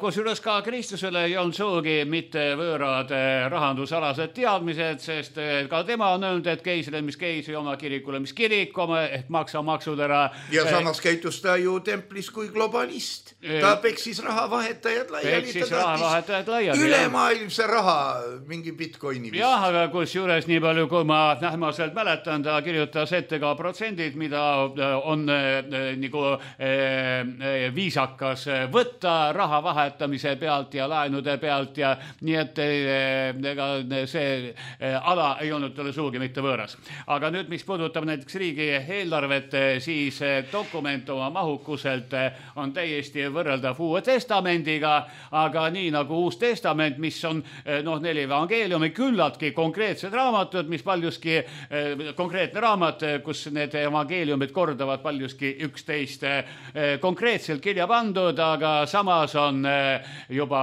D: kusjuures ka Kristusele ei olnud suugi mitte võõrad rahandusalased teadmised, sest ka tema on öelnud, et keisrile, mis keisri, oma kirikule, mis kirik, oma ehk maksa maksud ära.
C: Ja samas käitus ta ju templis kui globalist. Ta peksis rahavahetajad laiali.
D: Peksis rahavahetajad laiali.
C: Ülemaailmse raha mingi bitcoini vist.
D: Jah, aga kusjuures nii palju, kui ma nähmaselt mäletan, ta kirjutas ette ka protsendid, mida on nagu viisakas võtta raha vahetamise pealt ja laenude pealt ja nii et ega see ala ei olnud talle suugi mitte võõras. Aga nüüd, mis puudutab näiteks riigi eelarvet, siis dokument oma mahukuselt on täiesti võrreldav Uue Testamendiga, aga nii nagu Uus Testament, mis on noh, neli evangeeliumi, küllaltki konkreetsed raamatud, mis paljuski konkreetne raamat, kus need evangeeliumid kordavad paljuski üksteist konkreetselt kirja pandud, aga samas on juba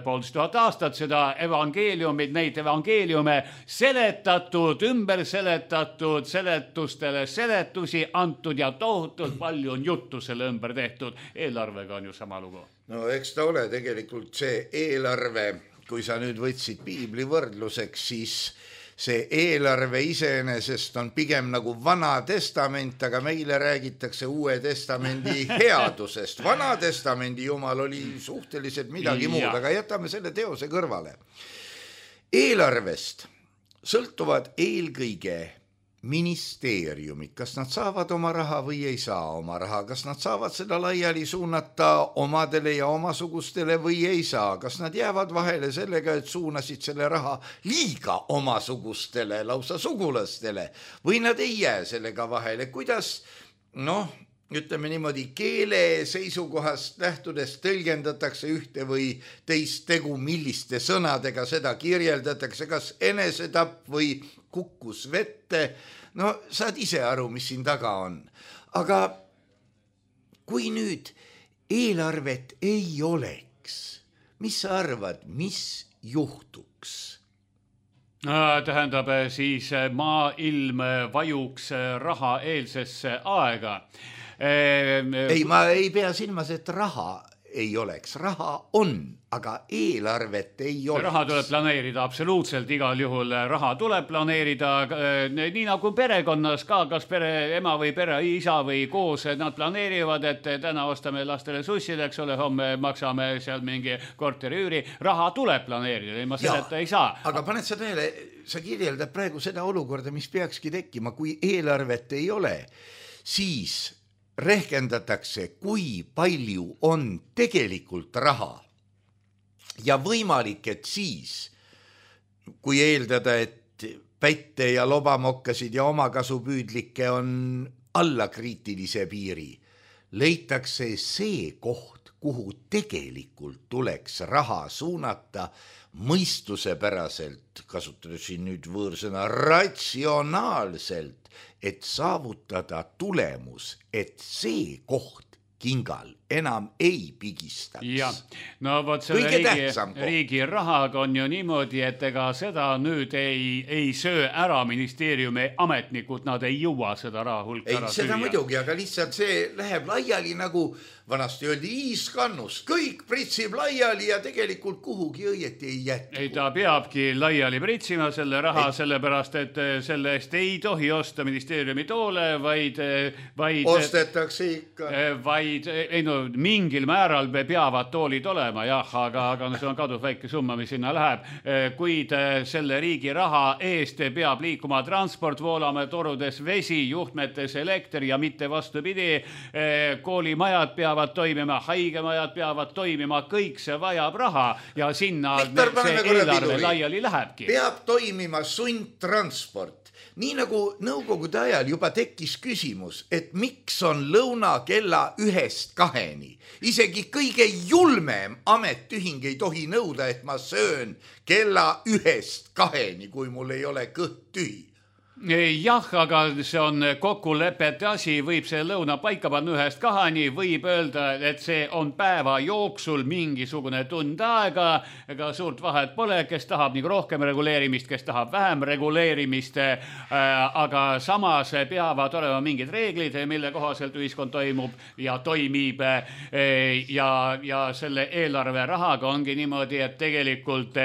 D: poolteist tuhat aastat seda evangeeliumid, neid evangeeliume seletatud, ümber seletatud, seletustele seletusi antud ja tohutult palju on juttu selle ümber tehtud. Eelarvega on ju sama lugu.
C: No eks ta ole tegelikult see eelarve, kui sa nüüd võtsid piibli võrdluseks, siis see eelarve iseenesest on pigem nagu Vana Testament, aga meile räägitakse Uue Testamendi headusest. Vana Testamendi jumal oli suhteliselt midagi muud, aga jätame selle teose kõrvale. Eelarvest sõltuvad eelkõige ministeeriumid, kas nad saavad oma raha või ei saa oma raha, kas nad saavad seda laiali suunata omadele ja omasugustele või ei saa, kas nad jäävad vahele sellega, et suunasid selle raha liiga omasugustele, lausa sugulastele, või nad ei jää sellega vahele, kuidas, noh, ütleme niimoodi, keele seisukohast lähtudes tõlgendatakse ühte või teist tegu, milliste sõnadega seda kirjeldatakse, kas enesetapp või kukkus vette, no saad ise aru, mis siin taga on. Aga kui nüüd eelarvet ei oleks, mis sa arvad, mis juhtuks?
D: Tähendab, siis maailm vajuks raha eelsesse aega.
C: Ei, ma ei pea silmas, et raha ei oleks. Raha on, aga eelarvet ei oleks.
D: Raha tuleb planeerida, absoluutselt igal juhul raha tuleb planeerida, nii nagu perekonnas ka, kas pere ema või pere isa või koos, nad planeerivad, et täna ostame lastele sussid, eks ole, homme maksame seal mingi korteriüüri, raha tuleb planeerida, ilma selleta ei saa.
C: Aga paned sa tähele, sa kirjeldad praegu seda olukorda, mis peakski tekkima, kui eelarvet ei ole, siis rehkendatakse, kui palju on tegelikult raha ja võimalik, et siis, kui eeldada, et pätte ja lobamokkasid ja omakasupüüdlikke on alla kriitilise piiri, leitakse see koht, kuhu tegelikult tuleks raha suunata mõistusepäraselt, kasutades siin nüüd võõrsõna ratsionaalselt, et saavutada tulemus, et see koht kingal enam ei pigistaks.
D: Ja, no võt selle riigi, riigi rahaga on ju niimoodi, et ega seda nüüd ei, ei söö ära ministeeriumi ametnikud, nad ei jõua seda raha hulka
C: ei,
D: ära
C: seda
D: süüa.
C: Muidugi, aga lihtsalt see läheb laiali nagu vanasti öeldi iiskannus, kõik pritsib laiali ja tegelikult kuhugi õieti ei jätku.
D: Ei, ta peabki laiali pritsima selle raha, ei. Sellepärast, et selle eest ei tohi osta ministeeriumi toole, vaid, vaid
C: ostetakse ikka.
D: Vaid, ei no mingil määral peavad toolid olema, jah, aga, aga no see on kadus väike summa, mis sinna läheb. Kuid selle riigi raha eest peab liikuma transport, voolame torudes vesi, juhtmetes elekter ja mitte vastupidi. Koolimajad peavad toimima, haigemajad peavad toimima, kõik see vajab raha ja sinna
C: Viktor,
D: see eelarve laiali lähebki.
C: Peab toimima sundtransport. Nii nagu nõukogude ajal juba tekkis küsimus, et miks on lõuna kella ühest kaheni. Isegi kõige julmem ametiühing ei tohi nõuda, et ma söön kella ühest kaheni, kui mul ei ole kõht tühi.
D: Jah, aga see on kokkulepete asi, võib see lõuna paika panna ühest kahani, võib öelda, et see on päeva jooksul mingisugune tund aega, ega suurt vahet pole, kes tahab nagu rohkem reguleerimist, kes tahab vähem reguleerimist, aga samas peavad olema mingid reeglid, mille kohaselt ühiskond toimub ja toimib ja, ja selle eelarve rahaga ongi niimoodi, et tegelikult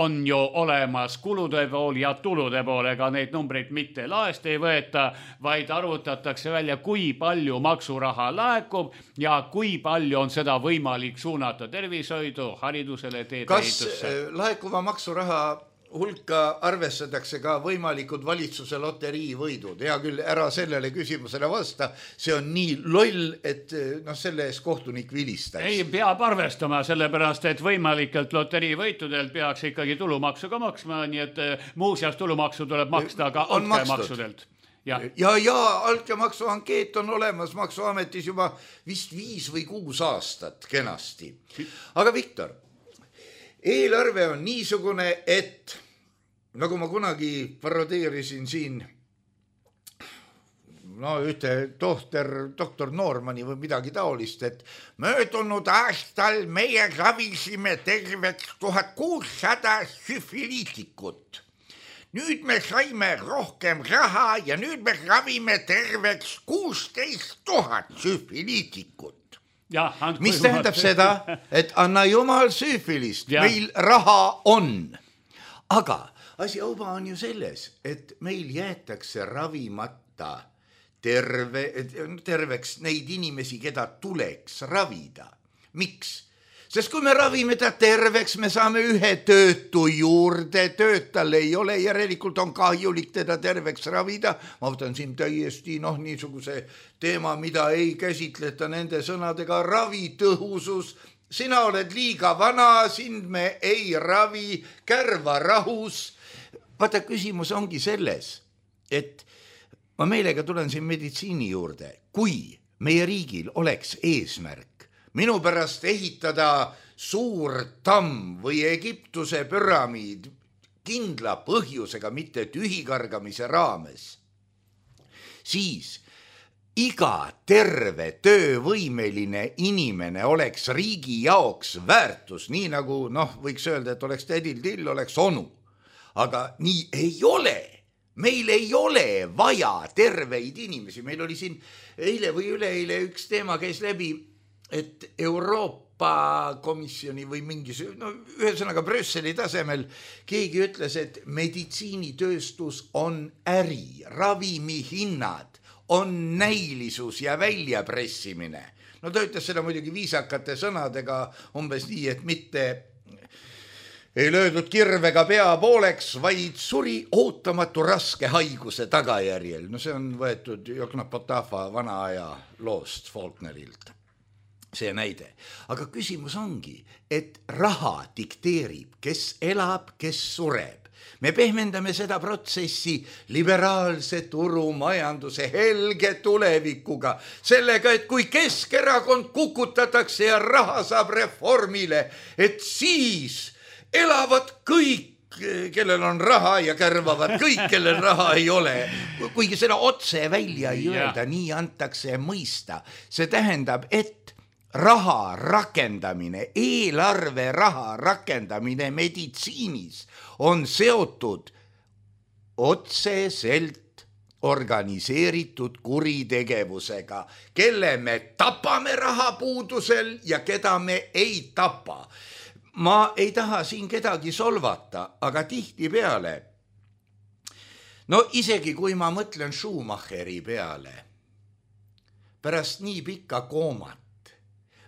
D: on ju olemas kulude pool ja tulude pool, ega neid numbreid mitte laest ei võeta, vaid arvutatakse välja, kui palju maksuraha laekub ja kui palju on seda võimalik suunata tervishoidu, haridusele, teedeehitusse.
C: Kas laekuva maksuraha hulka arvestatakse ka võimalikud valitsuse loteriivõidud? Hea küll, ära sellele küsimusele vasta. See on nii loll, et no, selle ees kohtunik vilistaks.
D: Ei, peab arvestama, sellepärast, et võimalikelt loteriivõitudelt peaks ikkagi tulumaksu ka maksma, nii et muuseas tulumaksu tuleb maksta ka altkäemaksudelt. Ja,
C: ja, ja altkäemaksu ankeet on olemas Maksuametis juba vist viis või kuus aastat kenasti. Aga Viktor, eelarve on niisugune, et nagu ma kunagi parodeerisin siin no ühte tohter, doktor Noormani või midagi taolist, et möödunud aastal meie ravisime terveks tuhat kuussada süfiliitikut. Nüüd me saime rohkem raha ja nüüd me ravime terveks kuusteist tuhat süfiliitikut.
D: Ja,
C: mis tähendab seda, et anna jumal süüfilist, ja. Meil raha on. Aga asi auba on ju selles, et meil jäetakse ravimata terve, terveks neid inimesi, keda tuleks ravida. Miks? Sest kui me ravime ta terveks, me saame ühe töötu juurde, töötal ei ole, järelikult on kahjulik teda terveks ravida. Ma võtan siin täiesti noh, niisuguse teema, mida ei käsitleta nende sõnadega ravitõhusus. Sina oled liiga vana, sind me ei ravi, kärva rahus. Vaata, küsimus ongi selles, et ma meelega tulen siin meditsiini juurde. Kui meie riigil oleks eesmärk minu pärast ehitada suur tamm või Egiptuse püramiid kindla põhjusega, mitte tühikargamise raames, siis iga terve töövõimeline inimene oleks riigi jaoks väärtus, nii nagu noh, võiks öelda, et oleks tädil till, oleks onu. Aga nii ei ole. Meil ei ole vaja terveid inimesi. Meil oli siin eile või üleeile üks teema käis läbi, et Euroopa komisjoni või mingis, no ühesõnaga Brüsseli tasemel keegi ütles, et meditsiinitööstus on äri, ravimihinnad on näilisus ja väljapressimine. No ta ütles seda muidugi viisakate sõnadega umbes nii, et mitte ei löödud kirvega pea pooleks, vaid suri ootamatu raske haiguse tagajärjel. No see on võetud Jokna Potafa vana aja loost Faulknerilt. See näide. Aga küsimus ongi, et raha dikteerib, kes elab, kes sureb. Me pehmendame seda protsessi liberaalse turumajanduse helge tulevikuga, sellega, et kui Keskerakond kukutatakse ja raha saab reformile, et siis elavad kõik, kellel on raha ja kärvavad kõik, kellel raha ei ole. Kuigi seda otse välja ei öelda, nii antakse mõista. See tähendab, et raha rakendamine, eelarve raha rakendamine meditsiinis on seotud otseselt organiseeritud kuritegevusega, kelle me tapame rahapuudusel ja keda me ei tapa. Ma ei taha siin kedagi solvata, aga tihti peale, no isegi kui ma mõtlen Schumacheri peale, pärast nii pikka koomat,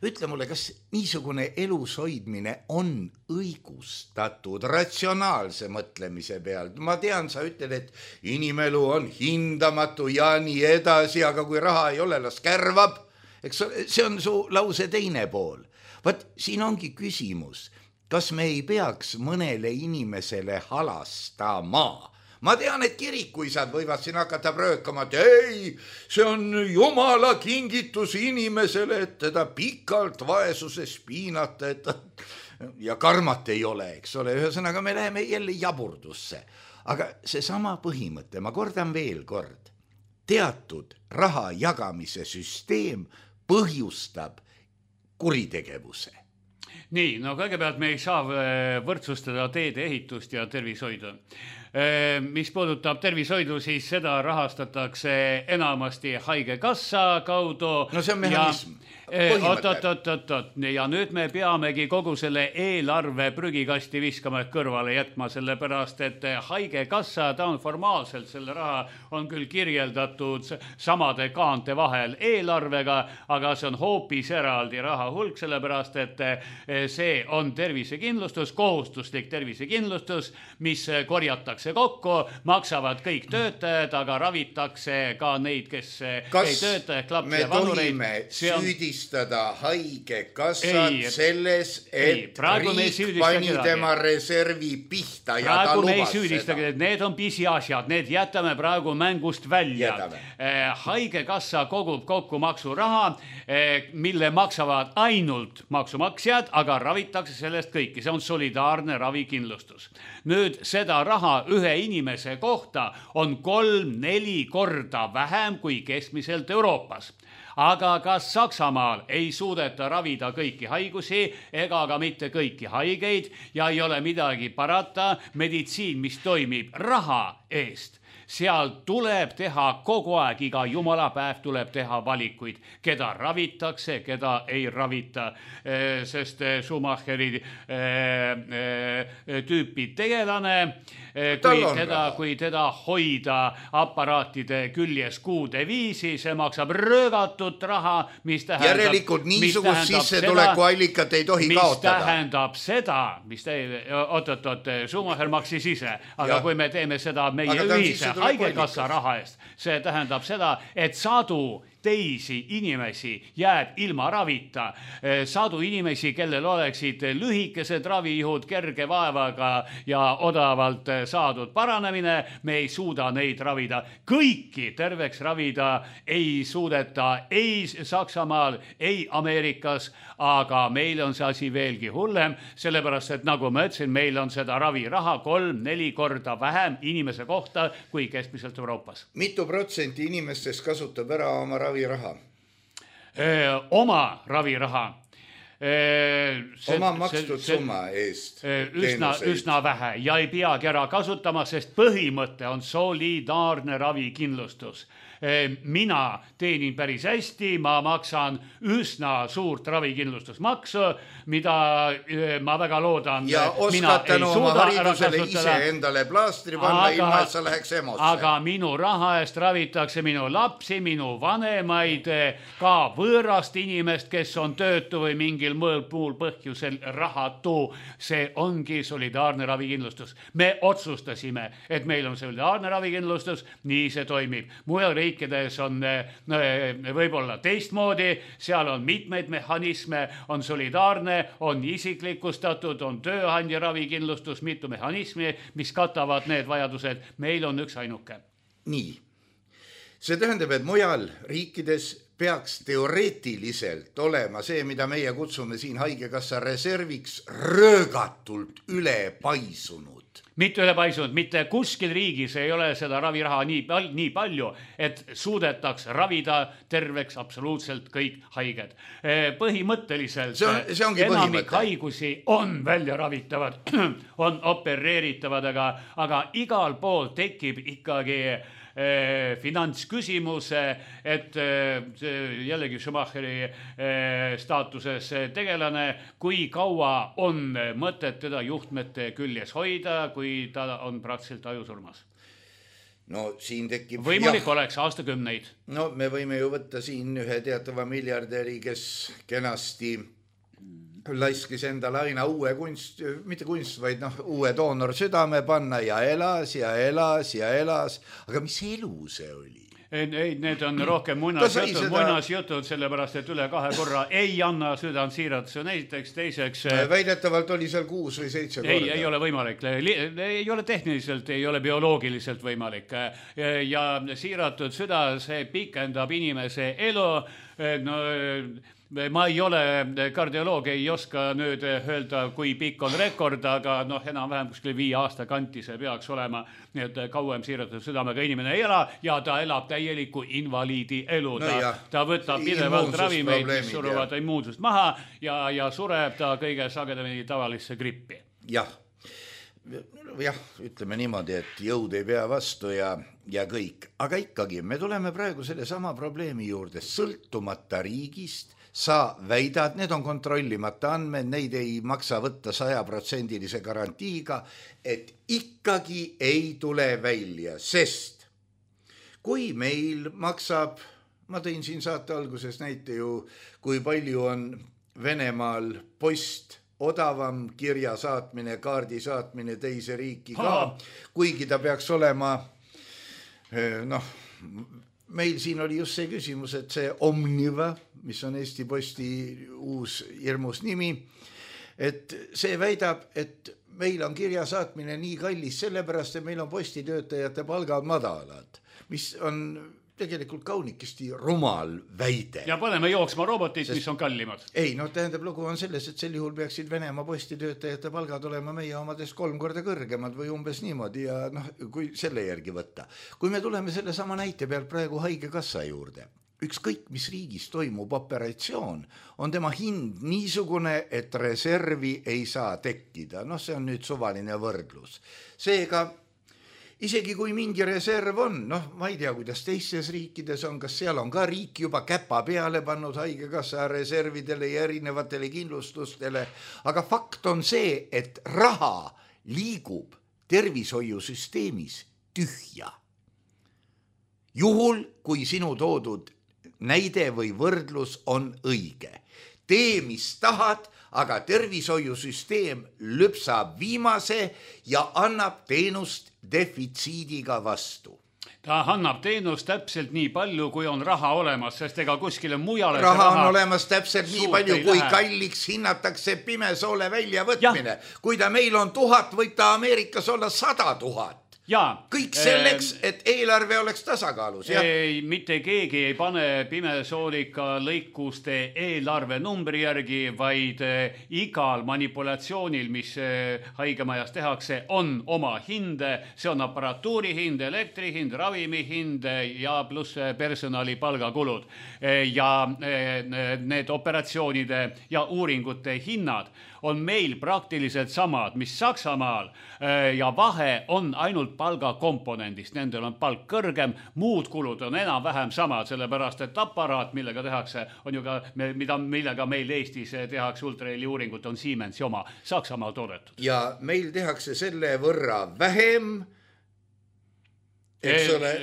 C: ütle mulle, kas niisugune elus hoidmine on õigustatud ratsionaalse mõtlemise peal? Ma tean, sa ütled, et inimelu on hindamatu ja nii edasi, aga kui raha ei ole, las kärvab. Eks see on su lause teine pool. Vaat siin ongi küsimus, kas me ei peaks mõnele inimesele halastama? Ma tean, et kirikuisad võivad siin hakata pröökama, et ei, see on Jumala kingitus inimesele, et teda pikalt vaesuses piinata, et ja karmat ei ole, eks ole. Ühesõnaga, me läheme jälle jaburdusse. Aga see sama põhimõte, ma kordan veel kord, teatud raha jagamise süsteem põhjustab kuritegevuse.
D: Nii, no kõigepealt me ei saa võrdsustada teede ehitust ja tervishoidu. Mis puudutab tervishoidu, siis seda rahastatakse enamasti haigekassa kaudu.
C: No see on mehhanism.
D: Oot, oot, oot, oot, oot. Ja nüüd me peamegi kogu selle eelarve prügikasti viskama kõrvale jätma, sellepärast, et haigekassa, ta on formaalselt, selle raha on küll kirjeldatud samade kaante vahel eelarvega, aga see on hoopis eraldi raha hulk, sellepärast, et see on tervisekindlustus, kohustuslik tervisekindlustus, mis korjatakse kokku, maksavad kõik töötajad, aga ravitakse ka neid, kes
C: Kas
D: ei tööta, ehk lapsi
C: ja
D: vanureid.
C: me tohime süüdistada haigekassat ei, selles, et ei, riik pani tema reservi pihta ja
D: praegu
C: ta lubas
D: me ei süüdistage, et need on pisiasjad, need jätame praegu mängust välja. Eh, haigekassa kogub kokku maksuraha, eh, mille maksavad ainult maksumaksjad, aga ravitakse sellest kõiki. See on solidaarne ravikindlustus. Nüüd seda raha ühe inimese kohta on kolm-neli korda vähem kui keskmiselt Euroopas. Aga kas Saksamaal ei suudeta ravida kõiki haigusi ega ka mitte kõiki haigeid ja ei ole midagi parata, meditsiin, mis toimib raha eest, seal tuleb teha kogu aeg, iga jumalapäev tuleb teha valikuid, keda ravitakse, keda ei ravita, sest Schumacheri tüüpi tegelane, kui teda, kui teda hoida aparaatide küljes kuude viisi, see maksab röögatut raha, mis tähendab,
C: järelikult niisugust sissetulekuallikat ei tohi
D: mis
C: kaotada.
D: Mis tähendab seda, mis te, oot, oot, oot, Schumacher maksis ise, aga ja. Kui me teeme seda meie ühise haigekassa raha eest, see tähendab seda, et sadu teisi inimesi jääb ilma ravita, sadu inimesi, kellel oleksid lühikesed ravijõud kerge vaevaga ja odavalt saadud paranemine, me ei suuda neid ravida. Kõiki terveks ravida ei suudeta ei Saksamaal, ei Ameerikas, aga meil on see asi veelgi hullem, sellepärast, et nagu ma ütlesin, meil on seda raviraha kolm-neli korda vähem inimese kohta kui keskmiselt Euroopas.
C: Mitu protsenti inimestest kasutab ära oma raviraha?
D: Öö, oma raviraha. See,
C: oma makstud see, summa eest
D: üsna, üsna vähe ja ei peagi ära kasutama, sest põhimõte on solidaarne ravikindlustus. Mina teenin päris hästi, ma maksan üsna suurt ravikindlustusmaksu, mida ma väga loodan.
C: Ja oskad tänu oma haridusele ise endale plaastri panna, aga, ilma et sa läheks emosse.
D: Aga minu raha eest ravitakse minu lapsi, minu vanemaid, ka võõrast inimest, kes on töötu või mingil muul põhjusel rahatu. See ongi solidaarne ravikindlustus. Me otsustasime, et meil on solidaarne ravikindlustus, nii see toimib. Mujal riikides on no, võib-olla teistmoodi, seal on mitmeid mehhanisme, on solidaarne, on isiklikustatud, on tööandja ravikindlustus, mitu mehhanismi, mis katavad need vajadused. Meil on üks ainuke.
C: Nii. See tähendab, et mujal riikides peaks teoreetiliselt olema see, mida meie kutsume siin haigekassa reserviks, röögatult üle paisunud.
D: Mitte üle paisunud, mitte kuskil riigis ei ole seda raviraha nii, nii palju, et suudetaks ravida terveks absoluutselt kõik haiged. Põhimõtteliselt
C: see on, see ongi
D: enamik
C: põhimõte.
D: Haigusi on välja ravitavad, on opereeritavad, aga, aga igal pool tekib ikkagi finantsküsimus, et jällegi Schumacheri staatuses tegelane, kui kaua on mõtet teda juhtmete küljes hoida, kui ta on praktiliselt ajusurmas.
C: no siin tekib...
D: Võimalik jah, oleks aastakümneid.
C: No me võime ju võtta siin ühe teatava miljardäri, kes kenasti laiskis endale aina uue kunst, mitte kunst, vaid noh, uue doonor südame panna ja elas ja elas ja elas. Aga mis elu see oli?
D: Ei, ei, need on rohkem muinasjutud, seda... muinasjutud, sellepärast, et üle kahe korra ei anna südant siirat. See on esiteks, teiseks...
C: Väidetavalt oli seal kuus või seitse korda.
D: Ei, ei ole võimalik. Ei ole tehniliselt, ei ole bioloogiliselt võimalik. Ja siiratud süda, see pikendab inimese elu. No, ma ei ole kardioloog, ei oska nüüd öelda, kui pikk on rekord, aga noh, enam-vähem kuskil viie aasta kanti see peaks olema, nii et kauem siiratud südamega inimene ei ela ja ta elab täieliku invaliidi elu. Ta, no ta võtab pidevalt ravimeid, mis suruvad immuunsust maha ja, ja sureb ta kõige sagedamini tavalisse grippi.
C: Jah, jah, ütleme niimoodi, et jõud ei pea vastu ja, ja kõik. Aga ikkagi, me tuleme praegu selle sama probleemi juurde, sõltumata riigist. Sa väidad, need on kontrollimata andmed, neid ei maksa võtta sajaprotsendilise garantiiga, et ikkagi ei tule välja, sest kui meil maksab, ma tõin siin saate alguses näite ju, kui palju on Venemaal post odavam kirja saatmine, kaardi saatmine teise riiki ka, kuigi ta peaks olema, noh, meil siin oli just see küsimus, et see Omniva, mis on Eesti Posti uus hirmus nimi, et see väidab, et meil on kirja saatmine nii kallis sellepärast, et meil on postitöötajate palgad madalad, mis on tegelikult kaunikesti rumal väide.
D: Ja paneme jooksma robotid, sest... mis on kallimad.
C: Ei, no tähendab, lugu on selles, et sel juhul peaksid Venemaa postitöötajate palgad olema meie omadest kolm korda kõrgemad või umbes niimoodi ja noh, kui selle järgi võtta. Kui me tuleme selle sama näite pealt praegu haigekassa juurde, ükskõik mis riigis toimub operatsioon, on tema hind niisugune, et reservi ei saa tekkida. Noh, see on nüüd suvaline võrdlus. Seega isegi kui mingi reserv on, noh, ma ei tea, kuidas teistes riikides on, kas seal on ka riik juba käpa peale pannud haigekassa reservidele ja erinevatele kindlustustele, aga fakt on see, et raha liigub tervishoiusüsteemis tühja. Juhul, kui sinu toodud näide või võrdlus on õige. Tee, mis tahad, aga tervishoiusüsteem lüpsab viimase ja annab teenust defitsiidiga vastu.
D: Ta annab teenust täpselt nii palju, kui on raha olemas, sest ega kuskile mujale
C: raha, raha on olemas täpselt nii palju, kui lähe. Kalliks hinnatakse pimesoole väljavõtmine. Ja. Kui ta meil on tuhat, võib ta Ameerikas olla sada tuhat. Ja, kõik selleks, et eelarve oleks tasakaalus.
D: Ei, mitte keegi ei pane pimesoolika lõikuste eelarve numbri järgi, vaid igal manipulatsioonil, mis haigemajas tehakse, on oma hinde. See on aparatuuri hind, elektri hind, ravimi hind ja pluss personali palgakulud. Ja need operatsioonide ja uuringute hinnad on meil praktiliselt samad, mis Saksamaal ja vahe on ainult palgakomponendist. Nendel on palk kõrgem, muud kulud on enam-vähem samad, sellepärast et aparaat, millega tehakse, on ju ka, mida, millega meil Eestis tehakse ultraheli uuringut, on Siemensi oma, Saksamaal toodetud.
C: Ja meil tehakse selle võrra vähem, eks ole.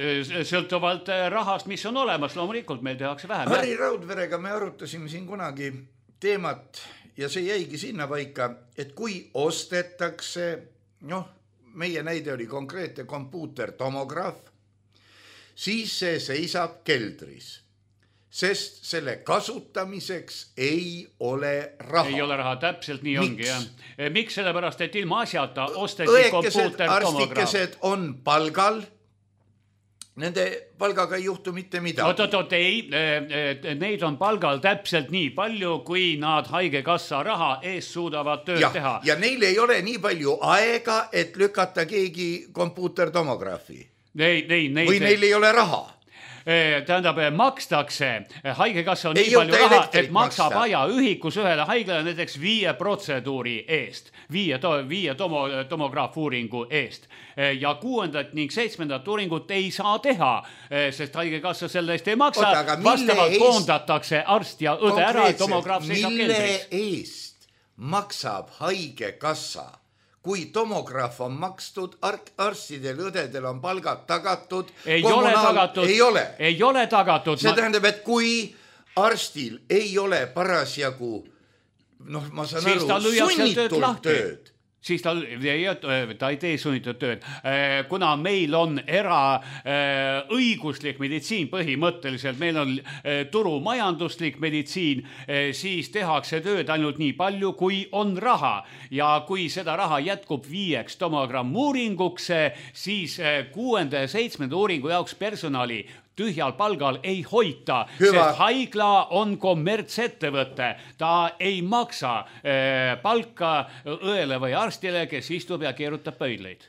D: Sõltuvalt rahast, mis on olemas, loomulikult meil tehakse vähem.
C: Harri Raudverega me arutasime siin kunagi teemat ja see jäigi sinna paika, et kui ostetakse, noh, meie näide oli konkreetne kompuutertomograaf, siis see seisab keldris, sest selle kasutamiseks ei ole raha.
D: Ei ole raha, täpselt nii ongi. Miks? Ja. Miks? Sellepärast, et ilma asjata osteti kompuutertomograaf.
C: Arstikesed on palgal, nende palgaga ei juhtu mitte midagi.
D: Oot, oot, oot, ei, neid on palgal täpselt nii palju, kui nad haigekassa raha eest suudavad tööd
C: ja,
D: teha.
C: Ja neil ei ole nii palju aega, et lükata keegi kompuutertomograafi.
D: Nei, nei, nei,
C: või neil ei ole raha.
D: Tähendab, makstakse, haigekassa on ei nii palju raha, et maksab maksta. Aja ühikus ühele haiglale näiteks viie protseduuri eest, viie, to, viie tomo, tomograafuuringu eest. Ja kuuendat ning seitsmendat uuringut ei saa teha, sest haigekassa selle eest ei maksa. Oota, vastavalt eest... koondatakse arst ja õde ära, tomograaf seisab keldris.
C: Mille eest maksab haigekassa kui tomograaf on makstud, arstidel, õdedel on palgad tagatud.
D: Ei ole tagatud.
C: Ei ole.
D: Ei ole tagatud.
C: See tähendab, et kui arstil ei ole parasjagu, noh, ma saan
D: siis
C: aru, sunnitult tööd.
D: Siis ta, ta ei tee sunnitud tööd. Kuna meil on era õiguslik meditsiin põhimõtteliselt, meil on turumajanduslik meditsiin, siis tehakse tööd ainult nii palju, kui on raha. Ja kui seda raha jätkub viieks tomogramm uuringuks, siis kuuenda ja seitsmenda uuringu jaoks personali tühjal palgal ei hoita,
C: Hüva.
D: Sest haigla on kommertsettevõte. Ta ei maksa äh, palka õele või arstile, kes istub ja keerutab pöidleid.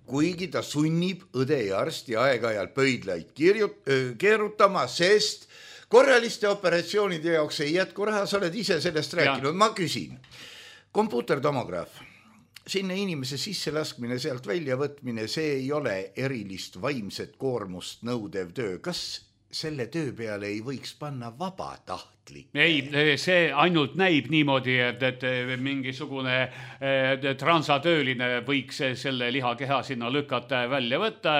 C: Kuigi ta sunnib õde ja arsti aeg-ajal pöidleid kirjut, keerutama, sest korraliste operatsioonide jaoks ei jätku raha, sa oled ise sellest rääkinud. Ja. Ma küsin, kompuutertomograaf, sinna inimese sisse laskmine, sealt välja võtmine, see ei ole erilist vaimset koormust nõudev töö. Kas selle töö peale ei võiks panna vabatahtlik?
D: Ei, see ainult näib niimoodi, et, et mingisugune et transatööline võiks selle lihakeha sinna lükata välja võtta.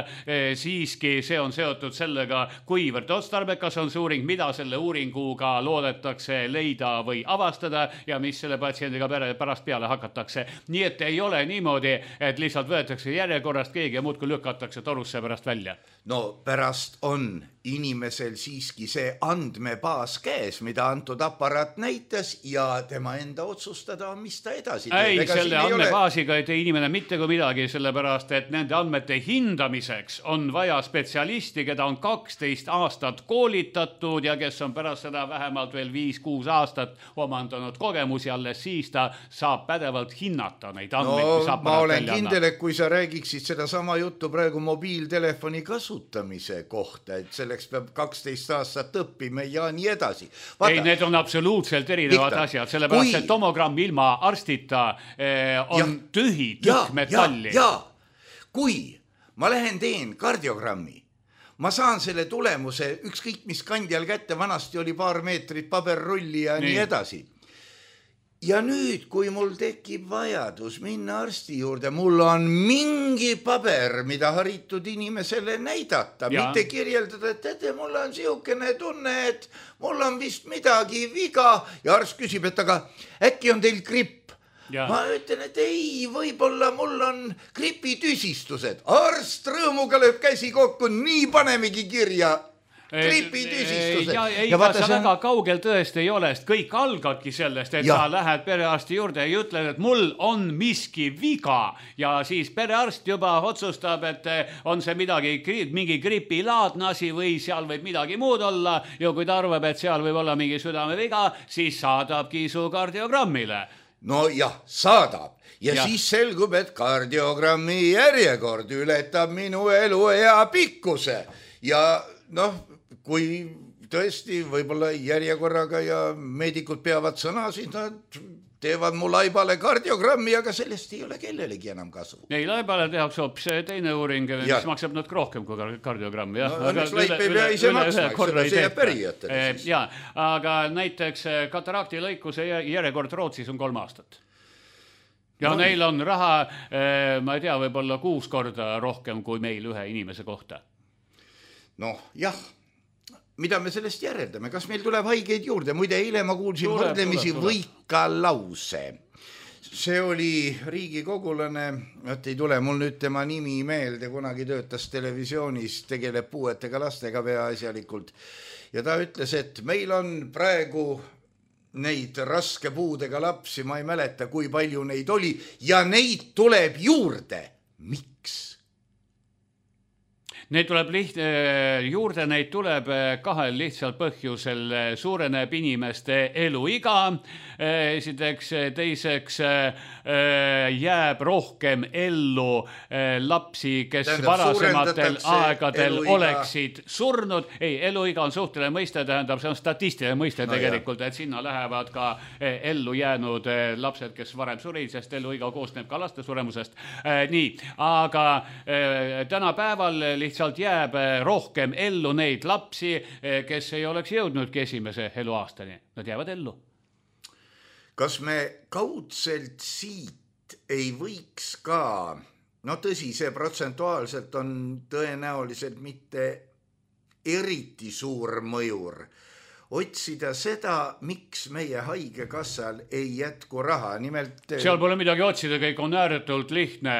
D: Siiski see on seotud sellega, kuivõrd otstarbekas on see uuring, mida selle uuringuga loodetakse leida või avastada ja mis selle patsiendiga pärast peale hakatakse. Nii et ei ole niimoodi, et lihtsalt võetakse järjekorrast keegi ja muudkui lükatakse torusse pärast välja.
C: No pärast on inimesel siiski see andmebaas käes, mida antud aparaat näitas ja tema enda otsustada on, mis ta edasi teeb.
D: Ei, Ega selle andmebaasiga ei tee inimene mitte kui midagi, sellepärast, et nende andmete hindamiseks on vaja spetsialisti, keda on kaksteist aastat koolitatud ja kes on pärast seda vähemalt veel viis kuus aastat omandanud kogemusi, alles siis ta saab pädevalt hinnata neid andmeid,
C: no,
D: mis
C: ma olen kindel, et kui sa räägiksid seda sama juttu praegu mobiiltelefoni kasutamise kohta, et selleks peab kaksteist aastat õppima ja nii edasi. Vaata,
D: ei, need on absoluutselt erinevad Victor, asjad, sellepärast kui... et tomogramm ilma arstita eh, on ja, tühi tükk metalli.
C: Ja, ja, kui ma lähen teen kardiogrammi, ma saan selle tulemuse ükskõik mis kandjal kätte, vanasti oli paar meetrit paberrulli ja nii, nii edasi. Ja nüüd, kui mul tekib vajadus minna arsti juurde, mul on mingi paber, mida haritud inimesele näidata, ja. Mitte kirjeldada, et teate, mul on siukene tunne, et mul on vist midagi viga ja arst küsib, et aga äkki on teil gripp. Ja. Ma ütlen, et ei, võib-olla mul on gripitüsistused. Arst rõõmuga lööb käsi kokku, nii panemegi kirja. Gripitüsistused.
D: Ja, ei, ja vaata, see väga kaugel tõesti ei ole, sest kõik algabki sellest, et ja. Sa lähed perearsti juurde ja ütled, et mul on miski viga ja siis perearst juba otsustab, et on see midagi, mingi gripilaadne asi või seal võib midagi muud olla ja kui ta arvab, et seal võib olla mingi südameviga, siis saadabki su kardiogrammile.
C: No jah, saadab. Ja, ja siis selgub, et kardiogrammi järjekord ületab minu eluea pikkuse ja noh, kui tõesti võib-olla järjekorraga ja meedikud peavad sõna, siis nad teevad mu laibale kardiogrammi, aga sellest ei ole kellelegi enam kasu.
D: Ei, laibale tehakse hoopis teine uuring, mis ja. Maksab nad rohkem kui kardiogrammi.
C: No, õnneks laip ei pea ise maksma, seda see jääb pärijatele.
D: Ja, aga näiteks katarakti lõikuse järjekord Rootsis on kolm aastat. Ja no, neil on raha, ma ei tea, võib-olla kuus korda rohkem kui meil ühe inimese kohta.
C: Noh, jah. Mida me sellest järeldame? Kas meil tuleb haigeid juurde? Muide, eile ma kuulsin tuleb, võrdlemisi tuleb, tuleb. Võika lause. See oli riigikogulane, et ei tule mul nüüd tema nimi meelde, kunagi töötas televisioonis, tegeleb puuetega lastega peaasjalikult. Ja ta ütles, et meil on praegu neid raske puudega lapsi, ma ei mäleta, kui palju neid oli, ja neid tuleb juurde. Miks?
D: Neid tuleb liht, juurde, neid tuleb kahel lihtsal põhjusel. Suureneb inimeste eluiga, esiteks, teiseks jääb rohkem ellu lapsi, kes tähendab, varasematel aegadel eluiga. Oleksid surnud. Ei, eluiga on suhteline mõiste, tähendab, see on statistiline mõiste no tegelikult, jah. Et sinna lähevad ka ellu jäänud lapsed, kes varem surid, sest eluiga koosneb ka laste suremusest. Nii, aga tänapäeval lihtsalt sealt jääb rohkem ellu neid lapsi, kes ei oleks jõudnudki esimese eluaastani. Nad jäävad ellu.
C: Kas me kaudselt siit ei võiks ka, no tõsi, see protsentuaalselt on tõenäoliselt mitte eriti suur mõjur, otsida seda, miks meie haigekassal ei jätku raha. Nimelt...
D: Seal pole midagi otsida, kõik on ääretult lihtne.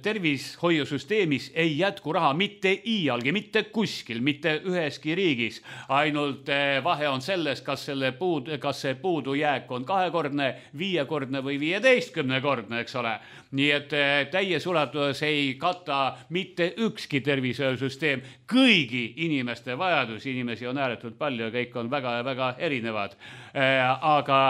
D: Tervishoiusüsteemis ei jätku raha mitte iialgi, mitte kuskil, mitte üheski riigis. Ainult vahe on selles, kas, selle puud, kas see puudujääk on kahekordne, viiekordne või viieteistkümnekordne, eks ole. Nii et täies ulatuses ei kata mitte ükski tervishoiusüsteem kõigi inimeste vajadusi, inimesi on ääretult palju ja kõik on väga ja väga erinevad. Aga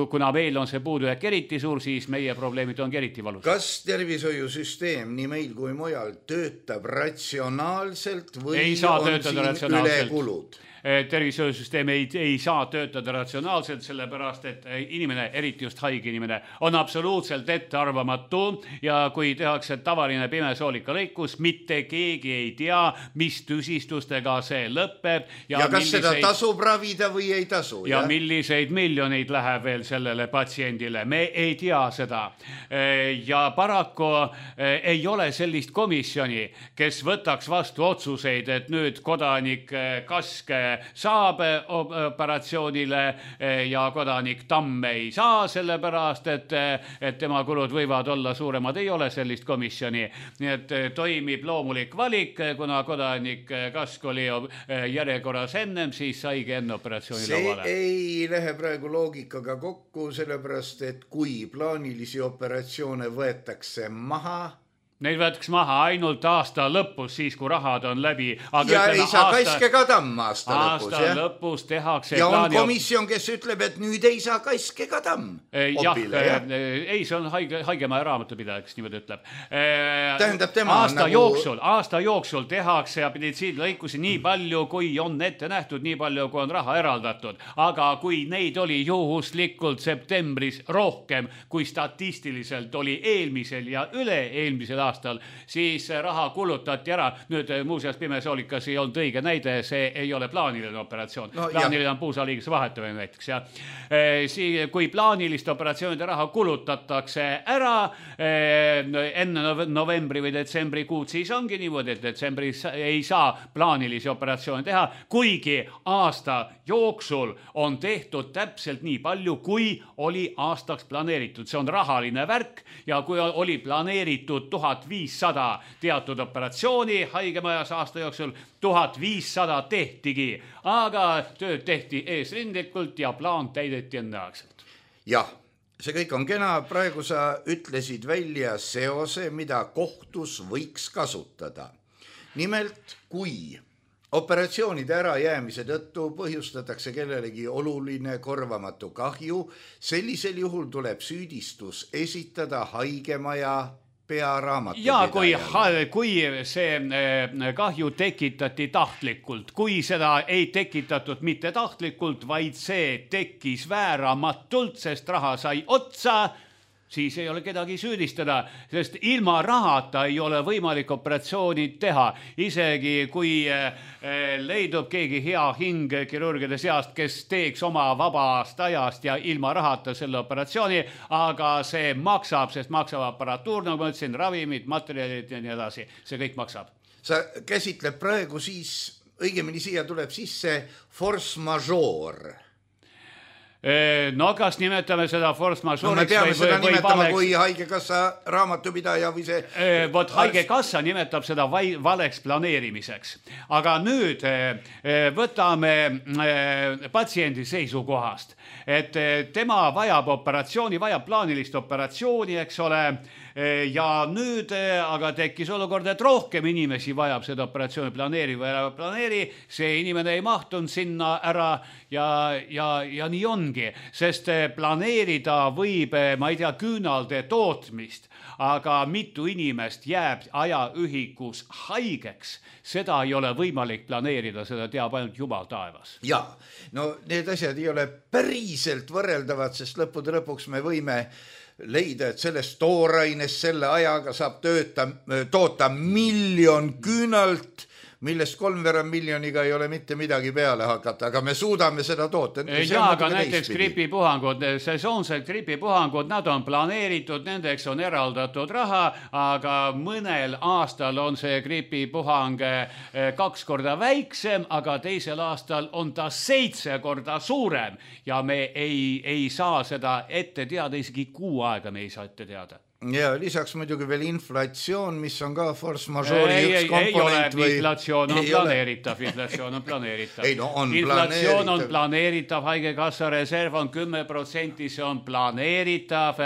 D: kuna meil on see puudujääk eriti suur, siis meie probleemid on eriti valus.
C: Kas tervishoiusüsteem nii meil kui mujal töötab ratsionaalselt või
D: ei saa
C: on
D: töötada
C: siin ülekulud?
D: Tervishoiusüsteem ei, ei saa töötada ratsionaalselt, sellepärast, et inimene, eriti just haige inimene, on absoluutselt ettearvamatu ja kui tehakse tavaline pimesoolika lõikus, mitte keegi ei tea, mis tüsistustega see lõpeb.
C: Ja, ja kas milliseid, seda tasub ravida või ei tasu?
D: Ja, ja milliseid miljoneid läheb veel sellele patsiendile, me ei tea seda. Ja paraku ei ole sellist komisjoni, kes võtaks vastu otsuseid, et nüüd kodanik Kaske saab operatsioonile ja kodanik Tamm ei saa, sellepärast, et, et tema kulud võivad olla suuremad. Ei ole sellist komisjoni. Nii et toimib loomulik valik, kuna kodanik Kask oli järjekorras ennem, siis saigi enne operatsiooni
C: see
D: lauale.
C: See ei lähe praegu loogikaga kokku, sellepärast, et kui plaanilisi operatsioone võetakse maha,
D: neid võtaks maha ainult aasta lõpus, siis kui rahad on läbi. Aga
C: ja
D: ütleme,
C: ei saa
D: aasta,
C: Kaske ka Tamm aasta, aasta lõpus.
D: Aasta jah? lõpus tehakse.
C: Ja on komisjon, kes ütleb, et nüüd ei saa Kaske ka Tamm.
D: Opile, jah, jah, ei, see on haige, haigemaja raamatupidaja, kes niimoodi ütleb.
C: Tähendab, tema
D: aasta
C: nagu...
D: jooksul, aasta jooksul tehakse meditsiinilõikusi nii palju, kui on ette nähtud, nii palju, kui on raha eraldatud. Aga kui neid oli juhuslikult septembris rohkem, kui statistiliselt oli eelmisel ja üle-eelmisel aastal, siis raha kulutati ära. Nüüd muuseas pimesoolikas ei olnud õige näide, see ei ole plaaniline operatsioon. No, plaaniline on puusaliigese vahetamine näiteks. Ja. Kui plaanilist operatsioonide raha kulutatakse ära enne novembri või detsembri kuud, siis ongi niimoodi, et detsembris ei saa plaanilisi operatsioone teha, kuigi aasta jooksul on tehtud täpselt nii palju, kui oli aastaks planeeritud. See on rahaline värk ja kui oli planeeritud tuhat viissada teatud operatsiooni haigemajas aasta jooksul, tuhat viissada tehtigi, aga tööd tehti eesrindlikult ja plaan täideti enneaegselt.
C: Jah, see kõik on kena, praegu sa ütlesid välja seose, mida kohtus võiks kasutada. Nimelt, kui operatsioonide ärajäämise tõttu põhjustatakse kellelegi oluline korvamatu kahju, sellisel juhul tuleb süüdistus esitada haigemaja
D: ja kui, kui see kahju tekitati tahtlikult, kui seda ei tekitatud mitte tahtlikult, vaid see tekkis vääramatult, sest raha sai otsa, siis ei ole kedagi süüdistada, sest ilma rahata ei ole võimalik operatsiooni teha. Isegi kui leidub keegi hea hing kirurgide seast, kes teeks oma vabast ajast ja ilma rahata selle operatsiooni, aga see maksab, sest maksab aparatuur, nagu ma ütlesin, ravimid, materjalid ja nii edasi. See kõik maksab.
C: Sa käsitleb praegu siis, õigemini siia tuleb sisse force majeure.
D: No kas nimetame seda force majeure'iks?
C: No me peame või, seda või, nimetama valeks... kui haigekassa raamatupidaja või see...
D: Vot haigekassa nimetab seda valeks planeerimiseks. Aga nüüd võtame patsiendi seisukohast, et tema vajab operatsiooni, vajab plaanilist operatsiooni, eks ole, ja nüüd aga tekkis olukord, et rohkem inimesi vajab seda operatsiooni planeeri või ära planeeri, see inimene ei mahtunud sinna ära ja, ja, ja nii ongi, sest planeerida võib, ma ei tea, küünalde tootmist, aga mitu inimest jääb ajaühikus haigeks, seda ei ole võimalik planeerida, seda teab ainult Jumal taevas.
C: Ja, no need asjad ei ole päriselt võrreldavad, sest lõppude lõpuks me võime leida, et sellest toorainest selle ajaga saab tööta, toota miljon küünalt, millest kolmveerand miljoniga ei ole mitte midagi peale hakata, aga me suudame seda toota.
D: Ja, aga näiteks gripipuhangud, sesoonsed gripipuhangud, nad on planeeritud, nendeks on eraldatud raha, aga mõnel aastal on see gripipuhang kaks korda väiksem, aga teisel aastal on ta seitse korda suurem ja me ei, ei saa seda ette teada, isegi kuu aega me ei saa ette teada.
C: Ja lisaks muidugi veel inflatsioon, mis on ka force majeure'i
D: ei,
C: üks
D: ei,
C: komponent.
D: Ei ole, inflatsioon on planeeritav, inflatsioon on planeeritav.
C: Ei, no on
D: inflatsioon
C: planeeritav.
D: on planeeritav, haigekassa reserv on kümme protsenti, see on planeeritav,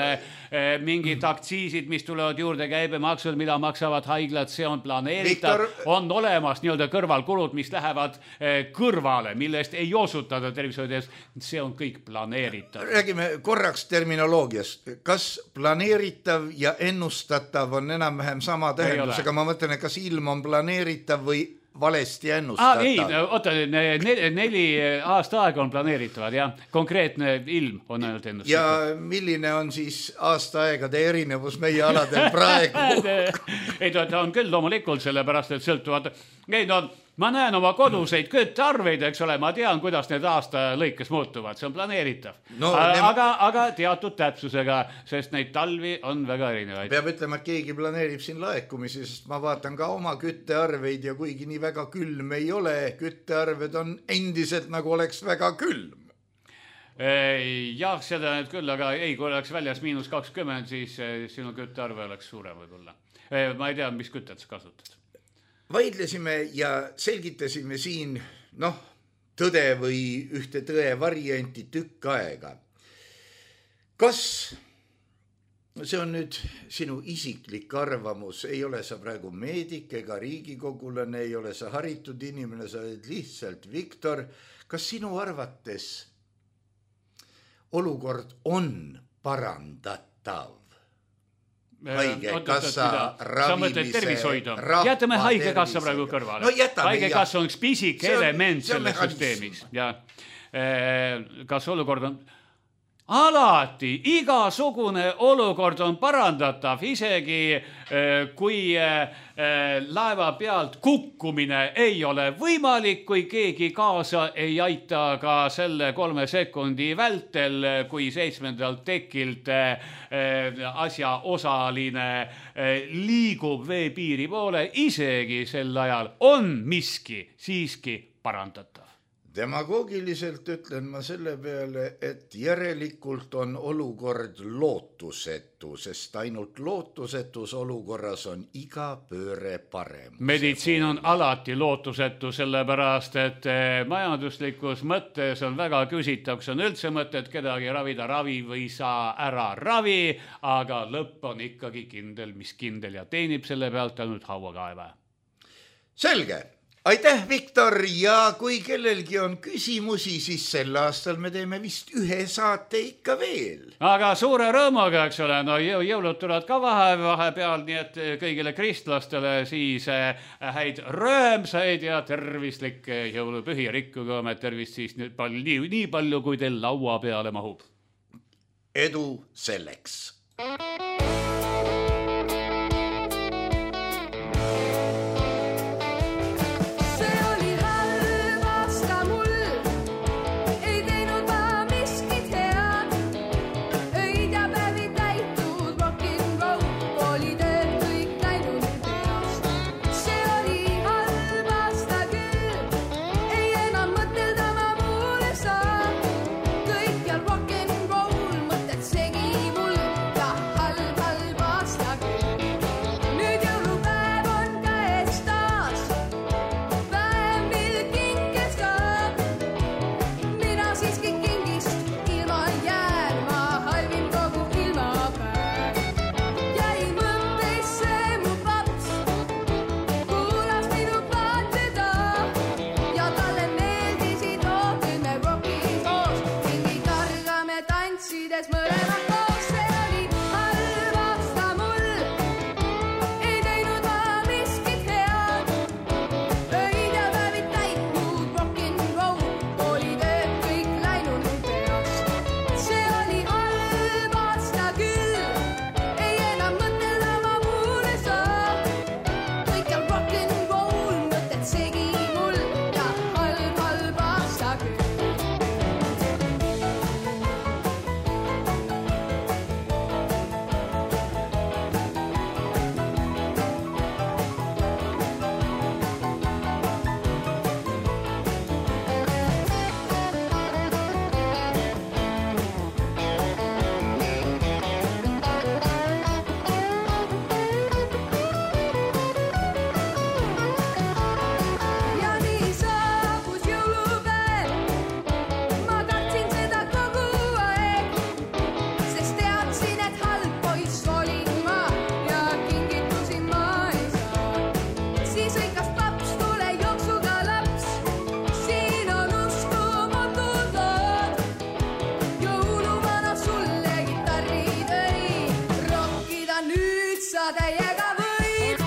D: mingid aktsiisid, mis tulevad juurde, käibemaksud, mida maksavad haiglad, see on planeeritav. Victor... On olemas nii-öelda kõrvalkulud, mis lähevad kõrvale, millest ei osutada tervishoides, see on kõik planeeritav.
C: Räägime korraks terminoloogiast. Kas planeeritav ja ennustatav on enam-vähem sama tähendusega, ma mõtlen, et kas ilm on planeeritav või valesti ennustatav?
D: Ah, ei, oota, neli, neli aasta aega on planeeritavad, jah. Konkreetne ilm on ainult ennustatav.
C: Ja milline on siis aasta aegade erinevus meie aladel praegu?
D: ei, ta on küll loomulikult sellepärast, et sõltuvad. Ei, no, ma näen oma koduseid küttearveid, eks ole, ma tean, kuidas need aasta lõikes muutuvad, see on planeeritav. No, aga, aga, aga teatud täpsusega, sest neid talvi on väga erinevaid.
C: Peab ütlema, et keegi planeerib siin laekumisi, sest ma vaatan ka oma küttearveid ja kuigi nii väga külm ei ole, küttearved on endiselt nagu oleks väga külm.
D: Jah, seda nüüd küll, aga ei, kui oleks väljas miinus kakskümmend, siis sinu küttearve oleks suurem võib-olla. Ma ei tea, mis kütet sa kasutad.
C: Vaidlesime ja selgitasime siin, noh, tõde või ühte tõe varianti tükk aega. Kas, see on nüüd sinu isiklik arvamus, ei ole sa praegu meedik ega riigikogulane, ei ole sa haritud inimene, sa oled lihtsalt Victor. Kas sinu arvates olukord on parandatav? Haigekassa, ravimise,
D: jätame haigekassa praegu kõrvale.
C: No jätame,
D: haigekassa on üks pisik element selles süsteemis. Ja, kas olukord on... Alati, igasugune olukord on parandatav, isegi kui laeva pealt kukkumine ei ole võimalik, kui keegi kaasa ei aita ka selle kolme sekundi vältel, kui seitsmendalt tekilt asja osaline liigub veepiiri poole, isegi sel ajal on miski siiski parandatav.
C: Demagoogiliselt ütlen ma selle peale, et järelikult on olukord lootusetu, sest ainult lootusetus olukorras on iga pööre parem.
D: Meditsiin on alati lootusetu, sellepärast, et majanduslikus mõttes on väga küsitav, kas on üldse mõtet kedagi ravida, ravi või saa ära ravi, aga lõpp on ikkagi kindel, mis kindel ja teenib selle pealt ainult hauakaeva.
C: Selge. Aitäh, Victor, ja kui kellelgi on küsimusi, siis sel aastal me teeme vist ühe saate ikka veel.
D: Aga suure rõõmuga, eks ole, no jõulud tulevad ka vahe, vahe peal, nii et kõigile kristlastele siis häid röömsaid ja tervislikke jõulupühi, rikkuge oma tervist siis nii palju, nii, nii palju, kui teil laua peale mahub.
C: Edu selleks!
E: Rock and roll, mõtted segi mul ja halb. täiega võid.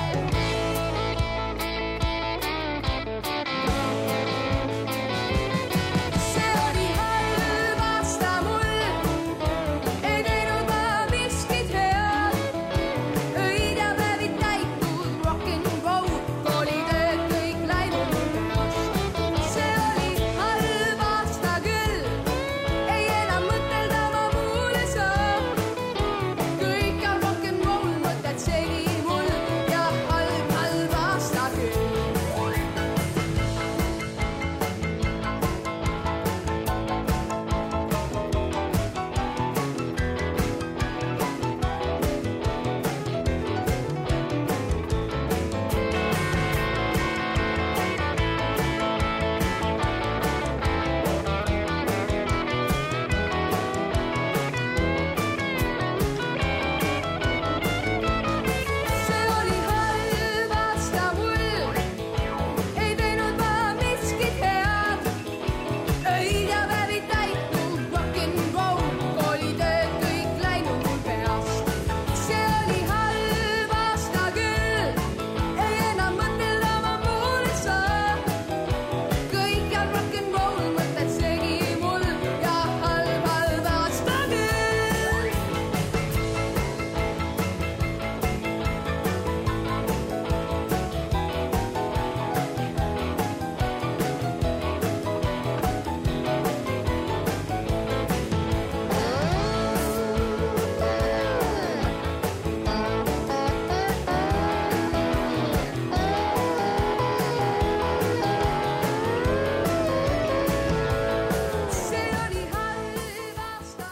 E: See oli halb aasta mul, ei teinud ma miskit head. Öid ja päevid täitud rock'n'roll, koolitööd kõik läinud peast. See oli halb aasta küll, ei enam mõtelda ma muule saa. Kõik on rock'n'roll, mõtted segi mul ja halb, halb aasta küll. See oli halb aasta mul, ei teinud ma miskit head. Öid ja päevid täitud rock'n'roll, koolitööd kõik läinud mul peast. See oli halb aasta küll, ei enam mõtelda ma muule saa. Kõik on rock'n'roll, mõtted segi mul ja halb, halb aasta küll. See oli halb aasta.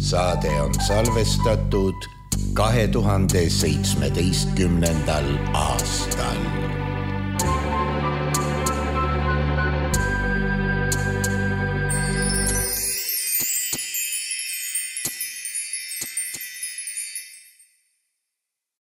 C: Saade on salvestatud kahe tuhande seitsmeteistkümnendal aastal.